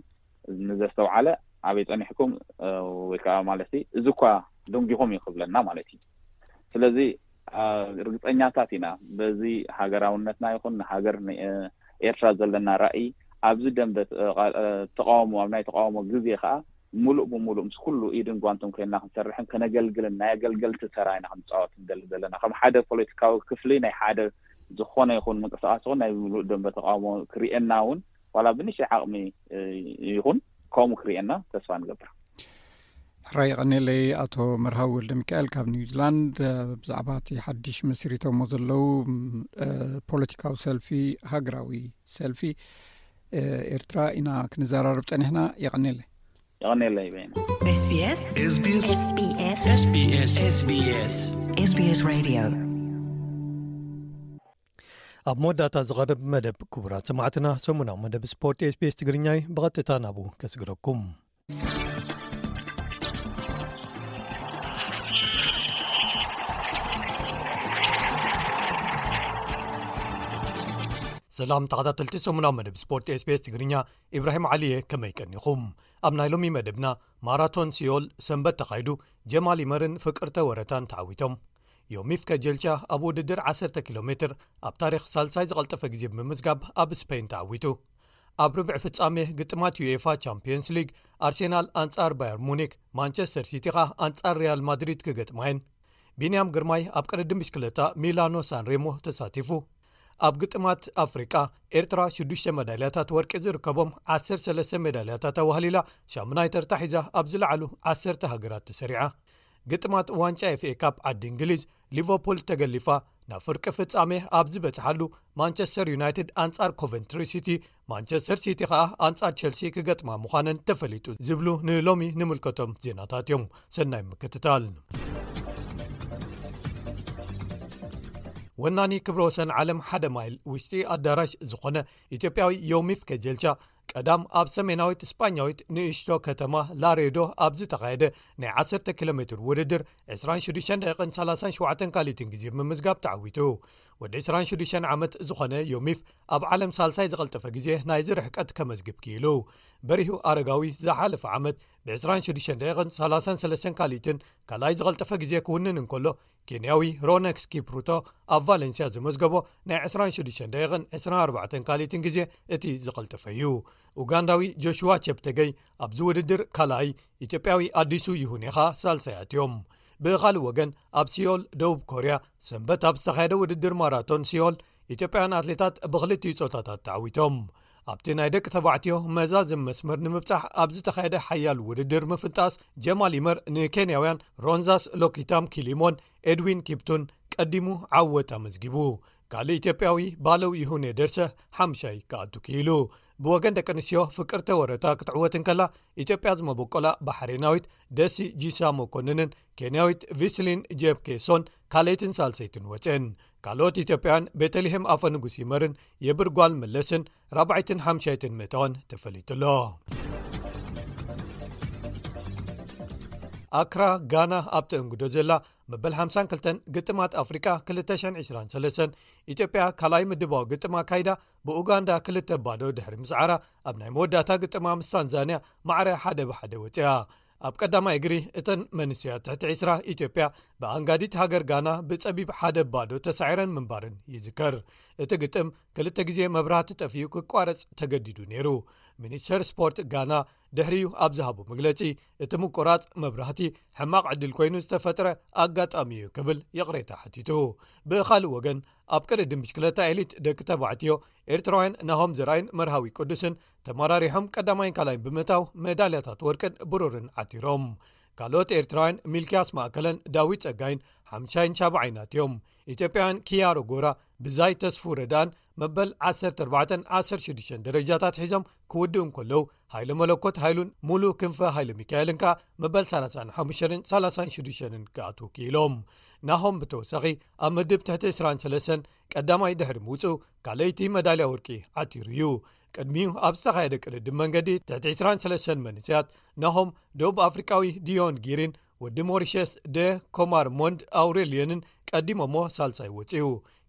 ንዘስተውዓለ ኣበይ ጸኒሕኩም፣ እ፣ ወይ ከኣ ማለት እዚ እኳ ደንጊኹም እዩ ክብለና ማለት እዩ። ስለዚ፣ እ፣ ርግጸኛታት ኢና በዚ ሃገራውነትና ይኹን ንሃገር ን-፣ ኤርትራ ዘለና ራኢ ኣብዚ ደንበ፣ እ፣ ቃል-፣ እ፣ ተቃውሞ፣ ኣብ ናይ ተቃውሞ ግዜ ከኣ ምሉእ ብምሉእ ምስ ኩሉ ኢድን ጓንትን ኮይንና ክንሰርሕን ከነገልግልን ናይ ኣገልገልቲ ተራ ኢና ክንጻወት ንደሊ ዘለና። ከም ሓደ ፖለቲካዊ ክፍሊ ናይ ሓደ ዝኾነ ይኹን ምንቅስቃስ ይኹን ናይ ምሉእ ደንበ ተቃውሞ ክርእየና እውን ዋላ ብንእሽተይ ዓቕሚ፣ እ፣ ይኹን ከምኡ ክርእየና ተስፋ ንገብር። ሕራይ የቐንየለይ ኣቶ መርሃዊ ወልደ ሚካኤል ካብ ኒውዚላንድ፣ እ፣ ብዛዕባ እቲ ሓድሽ መስሪቶሞ ዘለዉ፣ እ፣ ፖለቲካዊ ሰልፊ፣ ሃገራዊ ሰልፊ፣ እ፣ ኤርትራ ኢና ክንዘራረብ ጸኒሕና። የቐንየለይ። የቐንየለይ በይነ። ኤስቢኤስ። ኤስቢኤስ። ኤስቢኤስ። ኤስቢኤስ። ኤስቢኤስ ሬድዮ። ኣብ መወዳእታ ዝቐርብ መደብ፣ ክቡራት ሰማዕትና፣ ሰሙናዊ መደብ ስፖርት ኤስቢኤስ ትግርኛ እዩ። ብቐጥታ ናብኡ ከስግረኩም። ሰላም ተኸታተልቲ ሰሙናዊ መደብ ስፖርት ኤስቢኤስ ትግርኛ፣ ኢብራሂም ዓሊየ፣ ከመይ ቀኒኹም? ኣብ ናይ ሎሚ መደብና፣ ማራቶን ሲዮል ሰንበት ተኻይዱ፣ ጀማል ይመርን ፍቅርተ ወረታን ተዓዊቶም። ዮሚፍ ከጀልቻ ኣብ ውድድር ዓሰርተ ኪሎ ሜትር ኣብ ታሪኽ ሳልሳይ ዝቐልጠፈ ግዜ ብምምዝጋብ ኣብ ስፔን ተዓዊቱ። ኣብ ርብዒ ፍጻሜ ግጥማት ዩኤፋ ቻምፒየንስ ሊግ፣ ኣርሴናል ኣንጻር ባየር ሙኒክ፣ ማንቸስተር ሲቲ ኸኣ ኣንጻር ሪያል ማድሪድ ክገጥማ እየን። ቢንያም ግርማይ ኣብ ቅድድም ብሽክለታ ሚላኖ ሳንሬሞ ተሳቲፉ። ኣብ ግጥማት ኣፍሪቃ፣ ኤርትራ ሽዱሽተ መዳልያታት ወርቂ ዝርከቦም ዓሰርተ ሰለስተ መዳልያታት ኣዋህሊላ ሻሙናይ ተርታ ሒዛ ኣብ ዝለዓሉ ዓሰርተ ሃገራት ተሰሪዓ። ግጥማት ዋንጫ ኤፍኤ ካፕ ዓዲ እንግሊዝ፣ ሊቨርፑል ተገሊፋ፣ ናብ ፍርቂ ፍጻሜ ኣብ ዝበጽሓሉ፣ ማንቸስተር ዩናይትድ ኣንጻር ኮቨንትሪ ሲቲ፣ ማንቸስተር ሲቲ ከኣ ኣንጻር ቸልሲ ክገጥማ ምዃነን ተፈሊጡ ዝብሉ ንሎሚ ንምልከቶም ዜናታት እዮም። ሰናይ ምክትታል። ወናኒ ክብረ ወሰን ዓለም ሓደ ማይል ውሽጢ ኣዳራሽ ዝኾነ ኢትዮጵያዊ ዮሚፍ ከጀልቻ፣ ቀዳም ኣብ ሰሜናዊት ስጳኛዊት ንእሽቶ ከተማ ላሬዶ ኣብ ዝተኻየደ ናይ ዓሰርተ ኪሎ ሜትር ውድድር ዕስራን ሽዱሽተን ደቂቕን ሰላሳን ሸውዓተን ካልኢትን ግዜ ብምምዝጋብ ተዓዊቱ። ወዲ ዕስራን ሽዱሽተን ዓመት ዝኾነ ዮሚፍ ኣብ ዓለም ሳልሳይ ዝቐልጠፈ ግዜ ናይዚ ርሕቀት ከመዝግብ ክኢሉ። በሪሁ ኣረጋዊ ዝሓለፈ ዓመት ብ ዕስራን ሽዱሽተን ደቂቕን ሰላሳን ሰለስተን ካልኢትን ካልኣይ ዝቐልጠፈ ግዜ ክውንን እንከሎ፣ ኬንያዊ ሮነክስ ኪፕሩቶ ኣብ ቫለንሲያ ዝመዝገቦ ናይ ዕስራን ሽዱሽተን ደቂቕን ዕስራን ኣርባዕተን ካልኢትን ግዜ እቲ ዝቐልጠፈ እዩ። ኡጋንዳዊ ጆሽዋ ቸፕተገይ ኣብዚ ውድድር ካልኣይ፣ ኢትዮጵያዊ ኣዲሱ ይሁኔኻ ሳልሳይ ኣትዮም። ብኻልእ ወገን፣ ኣብ ሲዮል ደቡብ ኮርያ ሰንበት ኣብ ዝተኻየደ ውድድር ማራቶን ሲዮል፣ ኢትዮጵያውያን ኣትሌታት ብኽልቲኡ ጾታታት ተዓዊቶም። ኣብቲ ናይ ደቂ ተባዕትዮ መዛዝም መስመር ንምብጻሕ ኣብ ዝተኻየደ ሓያል ውድድር ምፍንጣስ፣ ጀማል ይመር ንኬንያውያን ሮንዛስ ሎኪታም ኪሊሞን ኤድዊን ኪፕቱን ቀዲሙ ዓወት ኣመዝጊቡ። ካልእ ኢትዮጵያዊ ባለው ይሁኔ ደርሰ ሓምሻይ ክኣቱ ክኢሉ። ብወገን ደቂ ኣንስትዮ፣ ፍቅርተ ወረታ ክትዕወት እንከላ፣ ኢትዮጵያ ዝመበቆላ ባሕሬናዊት ደሲ ጂሳ መኮንንን ኬንያዊት ቪስሊን ጄፕ ኬሶን ካልኣይትን ሳልሰይትን ወፅን። ካልኦት ኢትዮጵያውያን ቤተልሔም ኣፈ ንጉስ ይመርን የብርጓል መለስን ራብዓይትን ሓምሻይትን ምእታወን ተፈሊጡ ኣሎ። ኣክራ ጋና ኣብ ተእንግዶ ዘላ መበል ሓምሳን ክልተን ግጥማት ኣፍሪቃ ክልተ ሽሕን ዕስራን ሰለስተን፣ ኢትዮጵያ ካልኣይ ምድባዊ ግጥም ኣካይዳ ብኡጋንዳ ክልተ ባዶ ድሕሪ ምስዓራ፣ ኣብ ናይ መወዳእታ ግጥማ ምስ ታንዛንያ ማዕረ ሓደ ብሓደ ወፂኣ። ኣብ ቀዳማይ እግሪ እተን መንስያት ትሕቲ ዕስራ፣ ኢትዮጵያ ብኣንጋዲት ሃገር ጋና ብጸቢብ ሓደ ባዶ ተሳዒረን ምንባረን ይዝከር። እቲ ግጥም ክልተ ግዜ መብራህቲ ጠፊኡ ክቋረጽ ተገዲዱ ነይሩ። ሚኒስተር ስፖርት ጋና ድሕሪኡ ኣብ ዝሃቦ መግለጺ፣ እቲ ምቁራጽ መብራህቲ ሕማቕ ዕድል ኮይኑ ዝተፈጥረ ኣጋጣሚ እዩ ክብል ይቕሬታ ሓቲቱ። ብኻልእ ወገን፣ ኣብ ቅድድም ብሽክለታ ኤሊት ደቂ ተባዕትዮ፣ ኤርትራውያን ናሆም ዘርኣይን መርሃዊ ቅዱስን ተመራሪሖም ቀዳማይን ካልኣይን ብምእታው፣ ሜዳልያታት ወርቅን ብሩርን ዓቲሮም። ካልኦት ኤርትራውያን፣ ሚልክያስ ማእከለን ዳዊት ጸጋይን ሓምሻይን ሻብዓይን ኣትዮም። ኢትዮጵያውያን ኪያሮ ጎራ ብዛይ ተስፉ ረዳን መበል ዓሰርተ ኣርባዕተን ዓሰርተ ሽዱሽተን ደረጃታት ሒዞም ክውድኡ እንከለዉ፣ ሃይለ መለኮት ሃይሉን ሙሉ ክንፈ ሃይለ ሚካኤልን ከኣ መበል ሰላሳን ሓሙሽተን ሰላሳን ሽዱሽተን ክኣትዉ ክኢሎም። ናሆም ብተወሳኺ ኣብ ምድብ ትሕቲ ዕስራን ሰለስተን ቀዳማይ ድሕሪ ምውጽኡ፣ ካልኣይቲ መዳልያ ወርቂ ዓቲሩ እዩ። ቅድሚኡ ኣብ ዝተኻየደ ቅድድም መንገዲ ትሕቲ ዕስራን ሰለስተን መንእሰያት፣ ናሆም ደቡብ ኣፍሪቃዊ ዲዮን ጊሪን ወዲ ሞሪሸስ ደ ኮማር ሞንድ ኣውሬልዮንን ቀዲሞሞ ሳልሳይ ወጺኡ።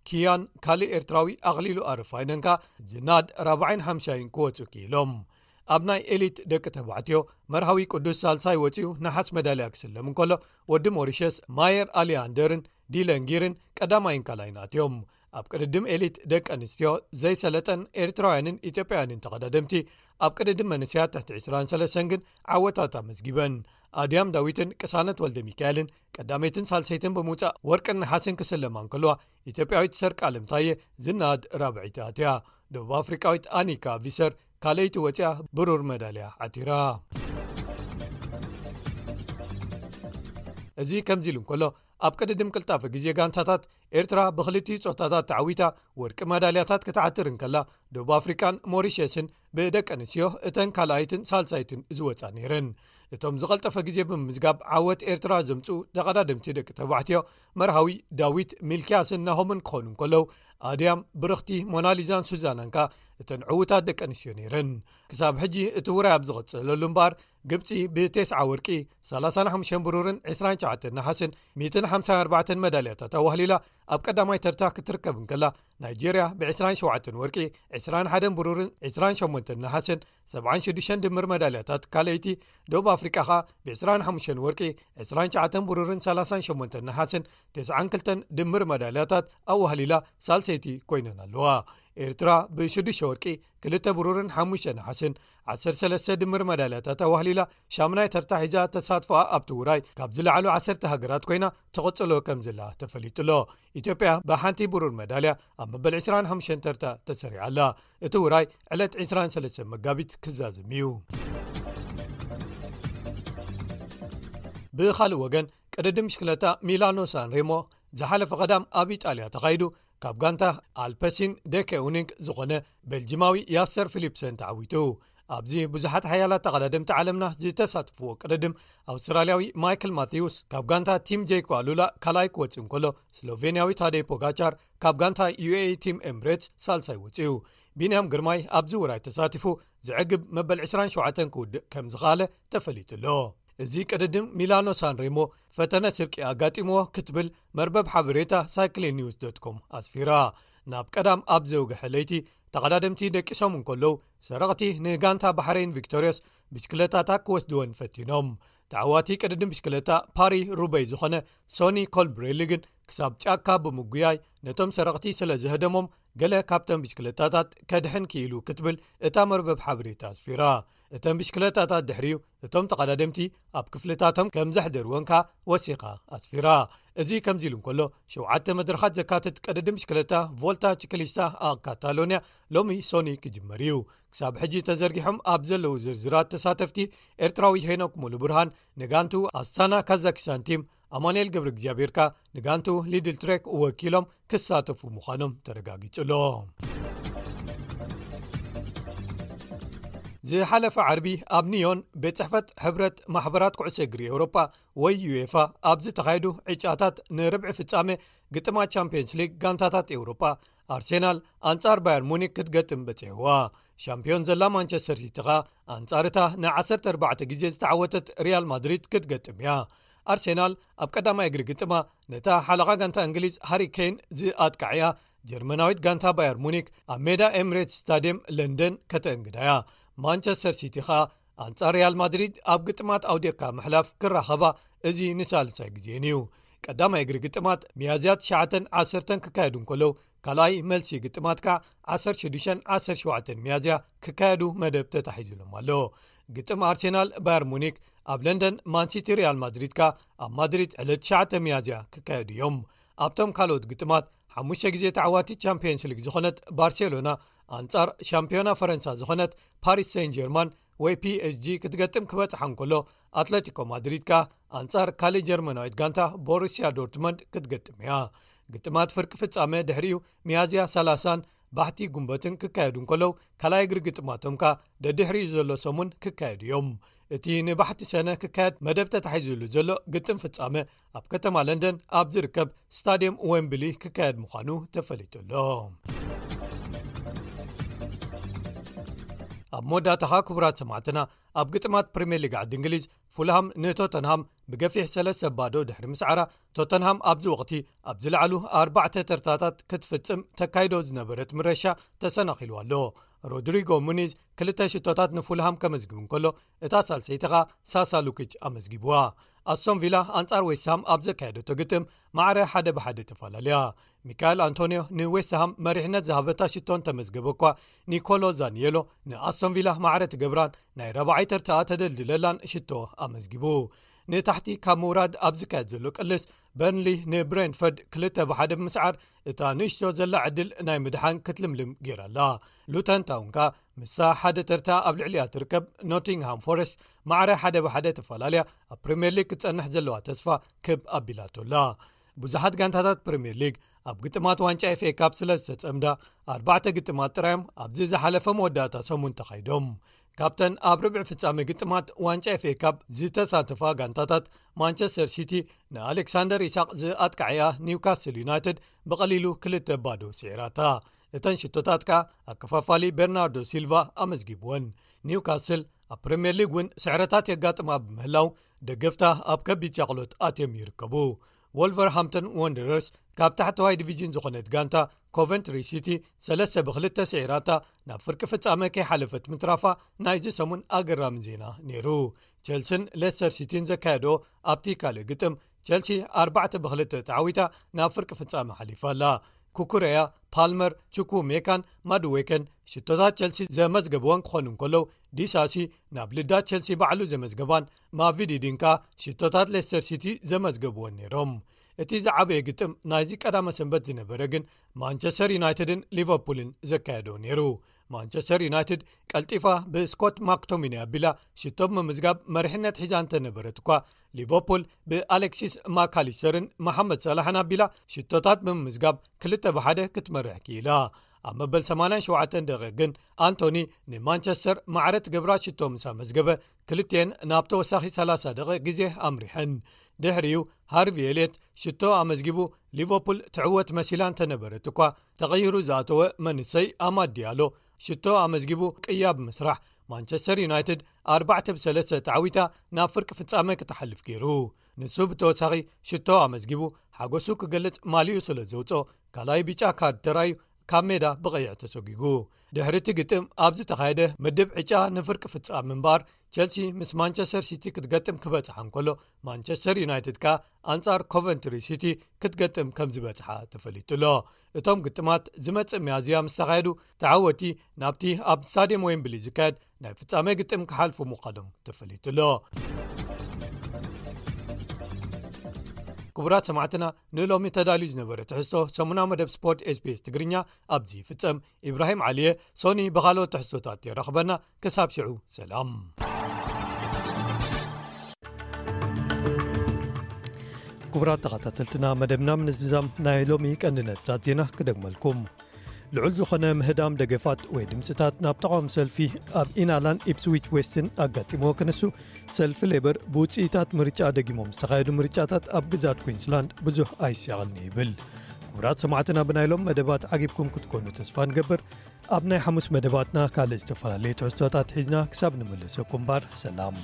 ኪያን ካልእ ኤርትራዊ ኣኽሊሉ ኣረፋይነን ከኣ ዝናድ ራብዓይን ሓምሻይን ክወጹ ክኢሎም። ኣብ ናይ ኤሊት ደቂ ተባዕትዮ፣ መርሃዊ ቅዱስ ሳልሳይ ወጺኡ ነሓስ መዳልያ ክስለም እንከሎ፣ ወዲ ሞሪሸስ ማየር ኣሊያንደርን ዲለንጊርን ቀዳማይን ካልኣይን ኣትዮም። ኣብ ቅድድም ኤሊት ደቂ ኣንስትዮ ዘይሰለጠን ኤርትራውያንን ኢትዮጵያውያንን ተቐዳደምቲ፣ ኣብ ቅድድም መንእሰያት ትሕቲ ዕስራን ሰለስተን ግን ዓወታት ኣመዝጊበን። ኣድያም ዳዊትን ቅሳነት ወልደ ሚካኤልን ቀዳመይትን ሳልሰይትን ብምውጻእ ወርቅን ነሓስን ክስለማ እንከለዋ፣ ኢትዮጵያዊት ሰርቃለም ታየ ዝናድ ራብዐይቲ ኣትያ። ደቡብ ኣፍሪቃዊት ኣኒካ ቪሰር ካልኣይቲ ወጺኣ ብሩር መዳልያ ዓቲራ። እዚ ከምዚ ኢሉ እንከሎ፣ ኣብ ቅድድም ቅልጣፈ ግዜ ጋንታታት፣ ኤርትራ ብኽልቲኡ ጾታታት ተዓዊታ ወርቂ መዳልያታት ክትዓትር እንከላ፣ ደቡብ ኣፍሪቃን ሞሪሸስን ብደቂ ኣንስትዮ እተን ካልኣይትን ሳልሳይትን ዝወጻ ነይረን። እቶም ዝቐልጠፈ ግዜ ብምምዝጋብ ዓወት ኤርትራ ዘምጽኡ ተቐዳደምቲ ደቂ ተባዕትዮ፣ መርሃዊ ዳዊት ሚልክያስን ናሆምን ክኾኑ እንከለዉ፣ ኣድያም ብርኽቲ ሞናሊዛን ሱዛናን ከኣ እተን ዕዉታት ደቂ ኣንስትዮ ነይረን። ክሳብ ሕጂ እቲ ውራይ ኣብ ዝቐጸለሉ እምበኣር፣ ግብጺ ብቴስዓ ወርቂ፣ ሰላሳን ሓሙሽተን ብሩርን ዕስራን ትሽዓተን ነሓስን፣ ሚእትን ሓምሳን ኣርባዕተን መዳልያታት ኣዋህሊላ ኣብ ቀዳማይ ተርታ ክትርከብ እንከላ፣ ናይጄርያ ብዕስራን ሸውዓተን ወርቂ፣ ዕስራን ሓደን ብሩርን ዕስራን ሸሞንተን ነሓስን፣ ሰብዓን ሽዱሽተን ድምር መዳልያታት ካልኣይቲ፣ ደቡብ ኣፍሪቃ ኸኣ ብዕስራን ሓሙሽተን ወርቂ፣ ዕስራን ትሽዓተን ብሩርን ሰላሳን ሸሞንተን ነሓስን፣ ተስዓን ክልተን ድምር መዳልያታት ኣዋህሊላ ሳልሰይቲ ኮይነን ኣለዋ። ኤርትራ ብሽዱሽተ ወርቂ፣ ክልተ ብሩርን ሓሙሽተ ነሓስን፣ ዓሰርተ ሰለስተ ድምር መዳልያታት ኣዋህሊላ ሻምናይ ተርታ ሒዛ ተሳትፎኣ ኣብቲ ውራይ ካብ ዝለዓሉ ዓሰርተ ሃገራት ኮይና ትቕጽሎ ከም ዘላ ተፈሊጡ ኣሎ። ኢትዮጵያ ብሓንቲ ብሩር መዳልያ ኣብ መበል ዕስራን ሓሙሽተን ተርታ ተሰሪዓ ኣላ። እቲ ውራይ ዕለት ዕስራን ሰለስተን መጋቢት ክዛዘም እዩ። ብኻልእ ወገን፣ ቅድድም ብሽክለታ ሚላኖ ሳንሬሞ ዝሓለፈ ቀዳም ኣብ ኢጣልያ ተኻይዱ፣ ካብ ጋንታ ኣልፐሲን ደኬ ኡኒንክ ዝኾነ ቤልጂማዊ ያሰር ፊሊፕሰን ተዓዊቱ። ኣብዚ ብዙሓት ሓያላት ተቐዳደምቲ ዓለምና ዝተሳተፍዎ ቅድድም፣ ኣውስትራልያዊ ማይክል ማቴውስ ካብ ጋንታ ቲም ጄይኮ ኣሉላ ካልኣይ ክወጽእ እንከሎ፣ ስሎቬንያዊ ታዴ ፖጋቻር ካብ ጋንታ ዩ ኤ ኢ ቲም ኤምሬትስ ሳልሳይ ወጺኡ። ቢንያም ግርማይ ኣብዚ ውራይ ተሳቲፉ፣ ዝዕግብ መበል ዕስራን ሸውዓተን ክውድእ ከም ዝኸኣለ ተፈሊጡ ኣሎ። እዚ ቅድድም ሚላኖ ሳንሬሞ ፈተነ ስርቂ ኣጋጢምዎ ክትብል መርበብ ሓበሬታ ሳይክሊን ኒውስ ዶት ኮም ኣስፊራ። ናብ ቀዳም ኣብ ዘውግሐ ለይቲ ተቐዳደምቲ ደቂሶም እንከለዉ፣ ሰረቕቲ ንጋንታ ባሕሬን ቪክቶሪዮስ ብሽክለታታት ክወስድወን ፈቲኖም። ተዓዋቲ ቅድድም ብሽክለታ ፓሪ ሩበይ ዝኾነ ሶኒ ኮልብሬሊ ግን ክሳብ ጫካ ብምጉያይ ነቶም ሰረቕቲ ስለ ዝህደሞም፣ ገለ ካብተን ብሽክለታታት ከድሕን ክኢሉ ክትብል እታ መርበብ ሓበሬታ ኣስፊራ። እተን ብሽክለታታት ድሕሪኡ እቶም ተቐዳደምቲ ኣብ ክፍልታቶም ከም ዘሕደርወን ከኣ ወሲኻ ኣስፊራ። እዚ ከምዚ ኢሉ እንከሎ፣ ሸውዓተ መድረኻት ዘካትት ቅድድም ብሽክለታ ቮልታ ቺክሊስታ ኣብ ካታሎንያ ሎሚ ሶኒ ክጅመር እዩ። ክሳብ ሕጂ ተዘርጊሖም ኣብ ዘለዉ ዝርዝራት ተሳተፍቲ፣ ኤርትራዊ ሄኖክ ሙሉ ብርሃን ንጋንቱ ኣስታና ካዛኪስታን ቲም፣ ኣማኑኤል ገብረ እግዚኣብሔር ከኣ ንጋንቱ ሊድል ትሬክ ወኪሎም ክሳተፉ ምዃኖም ተረጋጊጹ ኣሎ። ዝሓለፈ ዓርቢ ኣብ ኒዮን ቤት ጽሕፈት ሕብረት ማሕበራት ኩዕሶ እግሪ ኤውሮጳ ወይ ዩኤፋ ኣብ ዝተኻየዱ ዕጫታት ንርብዒ ፍጻመ ግጥማት ቻምፒየንስ ሊግ ጋንታታት ኤውሮጳ፣ ኣርሴናል ኣንጻር ባየር ሙኒክ ክትገጥም በጺሕዋ። ሻምፒዮን ዘላ ማንቸስተር ሲቲ ኸኣ ኣንጻር እታ ን ዓሰርተ ኣርባዕተ ግዜ ዝተዓወተት ሪያል ማድሪድ ክትገጥም እያ። ኣርሴናል ኣብ ቀዳማይ እግሪ ግጥማ ነታ ሓለቓ ጋንታ እንግሊዝ ሃሪ ኬን ዝኣጥቃዕያ ጀርመናዊት ጋንታ ባየር ሙኒክ ኣብ ሜዳ ኤምሬትስ ስታድየም ለንደን ከተእንግዳ እያ። ማንቸስተር ሲቲ ኸኣ ኣንጻር ሪያል ማድሪድ ኣብ ግጥማት ኣውዲቕካ ምሕላፍ ክራኸባ እዚ ንሳልሳይ ግዜን እዩ። ቀዳማይ እግሪ ግጥማት ሚያዝያ ትሽዓተን ዓሰርተን ክካየዱ እንከለዉ፣ ካልኣይ መልሲ ግጥማት ከኣ ዓሰርተ ሽዱሽተን ዓሰርተ ሸውዓተን ሚያዝያ ክካየዱ መደብ ተታሒዙሎም ኣሎ። ግጥም ኣርሴናል ባየር ሙኒክ ኣብ ለንደን፣ ማንሲቲ ሪያል ማድሪድ ከኣ ኣብ ማድሪድ ዕለት ትሽዓተ ሚያዝያ ክካየዱ እዮም። ኣብቶም ካልኦት ግጥማት ሓሙሽተ ግዜ ተዓዋቲት ቻምፒየንስ ሊግ ዝኾነት ባርሴሎና ኣንጻር ሻምፒዮና ፈረንሳ ዝኾነት ፓሪስ ሴን ጀርማን ወይ ፒ ኤስ ጂ ክትገጥም ክበጽሓ እንከሎ፣ ኣትለቲኮ ማድሪድ ከኣ ኣንጻር ካልእ ጀርመናዊት ጋንታ ቦሩስያ ዶርትመንድ ክትገጥም እያ። ግጥማት ፍርቂ ፍጻመ ድሕሪኡ ሚያዝያ ሰላሳን ባሕቲ ጉንበትን ክካየዱ እንከለዉ፣ ካልኣይ እግሪ ግጥማቶም ከኣ ደድሕሪኡ ዘሎ ሰሙን ክካየዱ እዮም። እቲ ንባሕቲ ሰነ ክካየድ መደብ ተታሒዙሉ ዘሎ ግጥም ፍጻመ ኣብ ከተማ ለንደን ኣብ ዝርከብ ስታድየም ዌምብሊ ክካየድ ምዃኑ ተፈሊጡ ኣሎ። ኣብ መወዳእታኻ ክቡራት ሰማዕትና፣ ኣብ ግጥማት ፕሪምየር ሊግ ዓዲ እንግሊዝ፣ ፉልሃም ንቶተንሃም ብገፊሕ ሰለስተ ባዶ ድሕሪ ምስዓራ፣ ቶተንሃም ኣብዚ ወቕቲ ኣብ ዝለዓሉ ኣርባዕተ ተርታታት ክትፍጽም ተካይዶ ዝነበረት ምረሻ ተሰናኺሉ ኣሎ። ሮድሪጎ ሙኒዝ ክልተ ሽቶታት ንፉልሃም ከመዝግብ እንከሎ፣ እታ ሳልሰይቲ ኸኣ ሳሳ ሉኪች ኣመዝጊብዋ። ኣስቶን ቪላ ኣንጻር ዌስትሃም ኣብ ዘካየደቶ ግጥም ማዕረ ሓደ ብሓደ ተፈላለያ። ሚካኤል ኣንቶንዮ ንዌስትሃም መሪሕነት ዝሃበታ ሽቶ እንተመዝገበ እኳ፣ ኒኮሎ ዛኒየሎ ንኣስቶን ቪላ ማዕረ ትገብራን ናይ ራብዓይ ተርታኣ ተደልድለላን ሽቶ ኣመዝጊቡ። ንታሕቲ ካብ ምውራድ ኣብ ዝካየድ ዘሎ ቅልስ፣ በርንሊ ንብሬንፈርድ ክልተ ብሓደ ብምስዓር፣ እታ ንእሽቶ ዘላ ዕድል ናይ ምድሓን ክትልምልም ገይራ ኣላ። ሉተን ታውን ከኣ ምስታ ሓደ ተርታ ኣብ ልዕሊኣ ትርከብ ኖቲንግሃም ፎረስት ማዕረ ሓደ ብሓደ ተፈላለያ ኣብ ፕሪምየር ሊግ ክትጸንሕ ዘለዋ ተስፋ ክብ ኣቢላቶ ኣላ። ብዙሓት ጋንታታት ፕሪምየር ሊግ ኣብ ግጥማት ዋንጫ ኤፍ ኤ ካፕ ስለ ዝተጸምዳ፣ ኣርባዕተ ግጥማት ጥራዮም ኣብዚ ዝሓለፈ መወዳእታ ሰሙን ተኻይዶም። ካብተን ኣብ ርብዒ ፍጻመ ግጥማት ዋንጫ ኤፍ ኤ ካፕ ዝተሳተፋ ጋንታታት፣ ማንቸስተር ሲቲ ንኣሌክሳንደር ኢሳቕ ዝኣጥቃዕያ ኒውካስል ዩናይትድ ብቐሊሉ ክልተ ባዶ ስዒራታ። እተን ሽቶታት ከኣ ኣከፋፋሊ ቤርናርዶ ሲልቫ ኣመዝጊብወን። ኒውካስል ኣብ ፕሪምየር ሊግ እውን ስዕረታት የጋጥማ ብምህላው፣ ደገፍታ ኣብ ከቢድ ሻቕሎት ኣትዮም ይርከቡ። ወልቨርሃምፕተን ወንደረርስ ካብ ታሕተዋይ ዲቪዥን ዝኾነት ጋንታ ኮቨንትሪ ሲቲ ሰለስተ ብክልተ ስዒራታ ናብ ፍርቂ ፍጻመ ከይሓለፈት ምትራፋ ናይዚ ሰሙን ኣገራሚ ዜና ነይሩ። ቸልሲን ሌስተር ሲቲን ዘካየድኦ ኣብቲ ካልእ ግጥም፣ ቸልሲ ኣርባዕተ ብክልተ ተዓዊታ ናብ ፍርቂ ፍጻመ ሓሊፋ ኣላ። ኩኩረያ፣ ፓልመር፣ ቹኩ ሜካን ማዱዌከን ሽቶታት ቸልሲ ዘመዝገብወን ክኾኑ እንከለዉ፣ ዲሳሲ ናብ ልዳት ቸልሲ ባዕሉ ዘመዝገባን ማቪዲ ዲንካ ሽቶታት ሌስተር ሲቲ ዘመዝገብወን ነይሮም። እቲ ዝዓበየ ግጥም ናይዚ ቀዳመ ሰንበት ዝነበረ ግን ማንቸስተር ዩናይትድን ሊቨርፑልን ዘካየዶ ነይሩ። ማንቸስተር ዩናይትድ ቀልጢፋ ብስኮት ማክቶሚኒ ኣቢላ ሽቶ ብምምዝጋብ መሪሕነት ሒዛ እንተነበረት እኳ፣ ሊቨርፑል ብኣሌክሲስ ማካሊስተርን መሓመድ ሳላሕን ኣቢላ ሽቶታት ብምምዝጋብ ክልተ ብሓደ ክትመርሕ ክኢላ። ኣብ መበል ሰማንያን ሸውዓተን ደቂቕ ግን ኣንቶኒ ንማንቸስተር ማዕረ ትገብራ ሽቶ ምስ ኣመዝገበ፣ ክልቲኤን ናብ ተወሳኺ ሰላሳ ደቂቕ ግዜ ኣምሪሐን። ድሕሪኡ ሃርቪ ኤልየት ሽቶ ኣመዝጊቡ፣ ሊቨርፑል ትዕወት መሲላ እንተነበረት እኳ፣ ተቐይሩ ዝኣተወ መንሰይ ኣማድ ዲያሎ ሽቶ ኣመዝጊቡ ቅያ ብምስራሕ፣ ማንቸስተር ዩናይትድ ኣርባዕተ ብሰለስተ ተዓዊታ ናብ ፍርቂ ፍጻመ ክትሓልፍ ገይሩ። ንሱ ብተወሳኺ ሽቶ ኣመዝጊቡ ሓጎሱ ክገልጽ ማልዩ ስለ ዘውፅኦ፣ ካልኣይ ቢጫ ካርድ ተራእዩ ካብ ሜዳ ብቐይሕ ተሰጒጉ። ድሕሪ እቲ ግጥም ኣብ ዝተኻየደ ምድብ ዕጫ ንፍርቂ ፍጻመ እምበኣር፣ ቸልሲ ምስ ማንቸስተር ሲቲ ክትገጥም ክበጽሓ እንከሎ፣ ማንቸስተር ዩናይትድ ከኣ ኣንጻር ኮቨንትሪ ሲቲ ክትገጥም ከም ዝበጽሓ ተፈሊጡ ኣሎ። እቶም ግጥማት ዝመጽእ ሚያዝያ ምስ ተኻየዱ፣ ተዓወቲ ናብቲ ኣብ ስታድየም ዌምብሊ ዝካየድ ናይ ፍጻመ ግጥም ክሓልፉ ምዃኖም ተፈሊጡ ኣሎ። ክቡራት ሰማዕትና፣ ንሎሚ ተዳልዩ ዝነበረ ትሕዝቶ ሰሙናዊ መደብ ስፖርት ኤስቢኤስ ትግርኛ ኣብዚ ይፍጸም። ኢብራሂም ዓሊየ፣ ሶኒ ብኻልኦት ትሕዝቶታት የራኽበና። ክሳብ ሽዑ ሰላም። ክቡራት ተኸታተልትና፣ መደብና ምንዝዛም ናይ ሎሚ ቀንዲ ነጥብታት ዜና ክደግመልኩም። ልዑል ዝኾነ ምህዳም ደገፋት ወይ ድምፅታት ናብ ተቓውሞ ሰልፊ ኣብ ኢናላን ኢፕስዊች ዌስትን ኣጋጢምዎ ክንሱ፣ ሰልፊ ሌበር ብውፅኢታት ምርጫ ደጊሞም ዝተኻየዱ ምርጫታት ኣብ ግዛት ኩዊንስላንድ ብዙሕ ኣይሻቐልኒ ይብል። ክቡራት ሰማዕትና፣ ብናይ ሎም መደባት ዓጊብኩም ክትኮኑ ተስፋ ንገብር። ኣብ ናይ ሓሙስ መደባትና ካልእ ዝተፈላለየ ትሕዝቶታት ሒዝና ክሳብ ንምልሰኩም እምበር፣ ሰላም።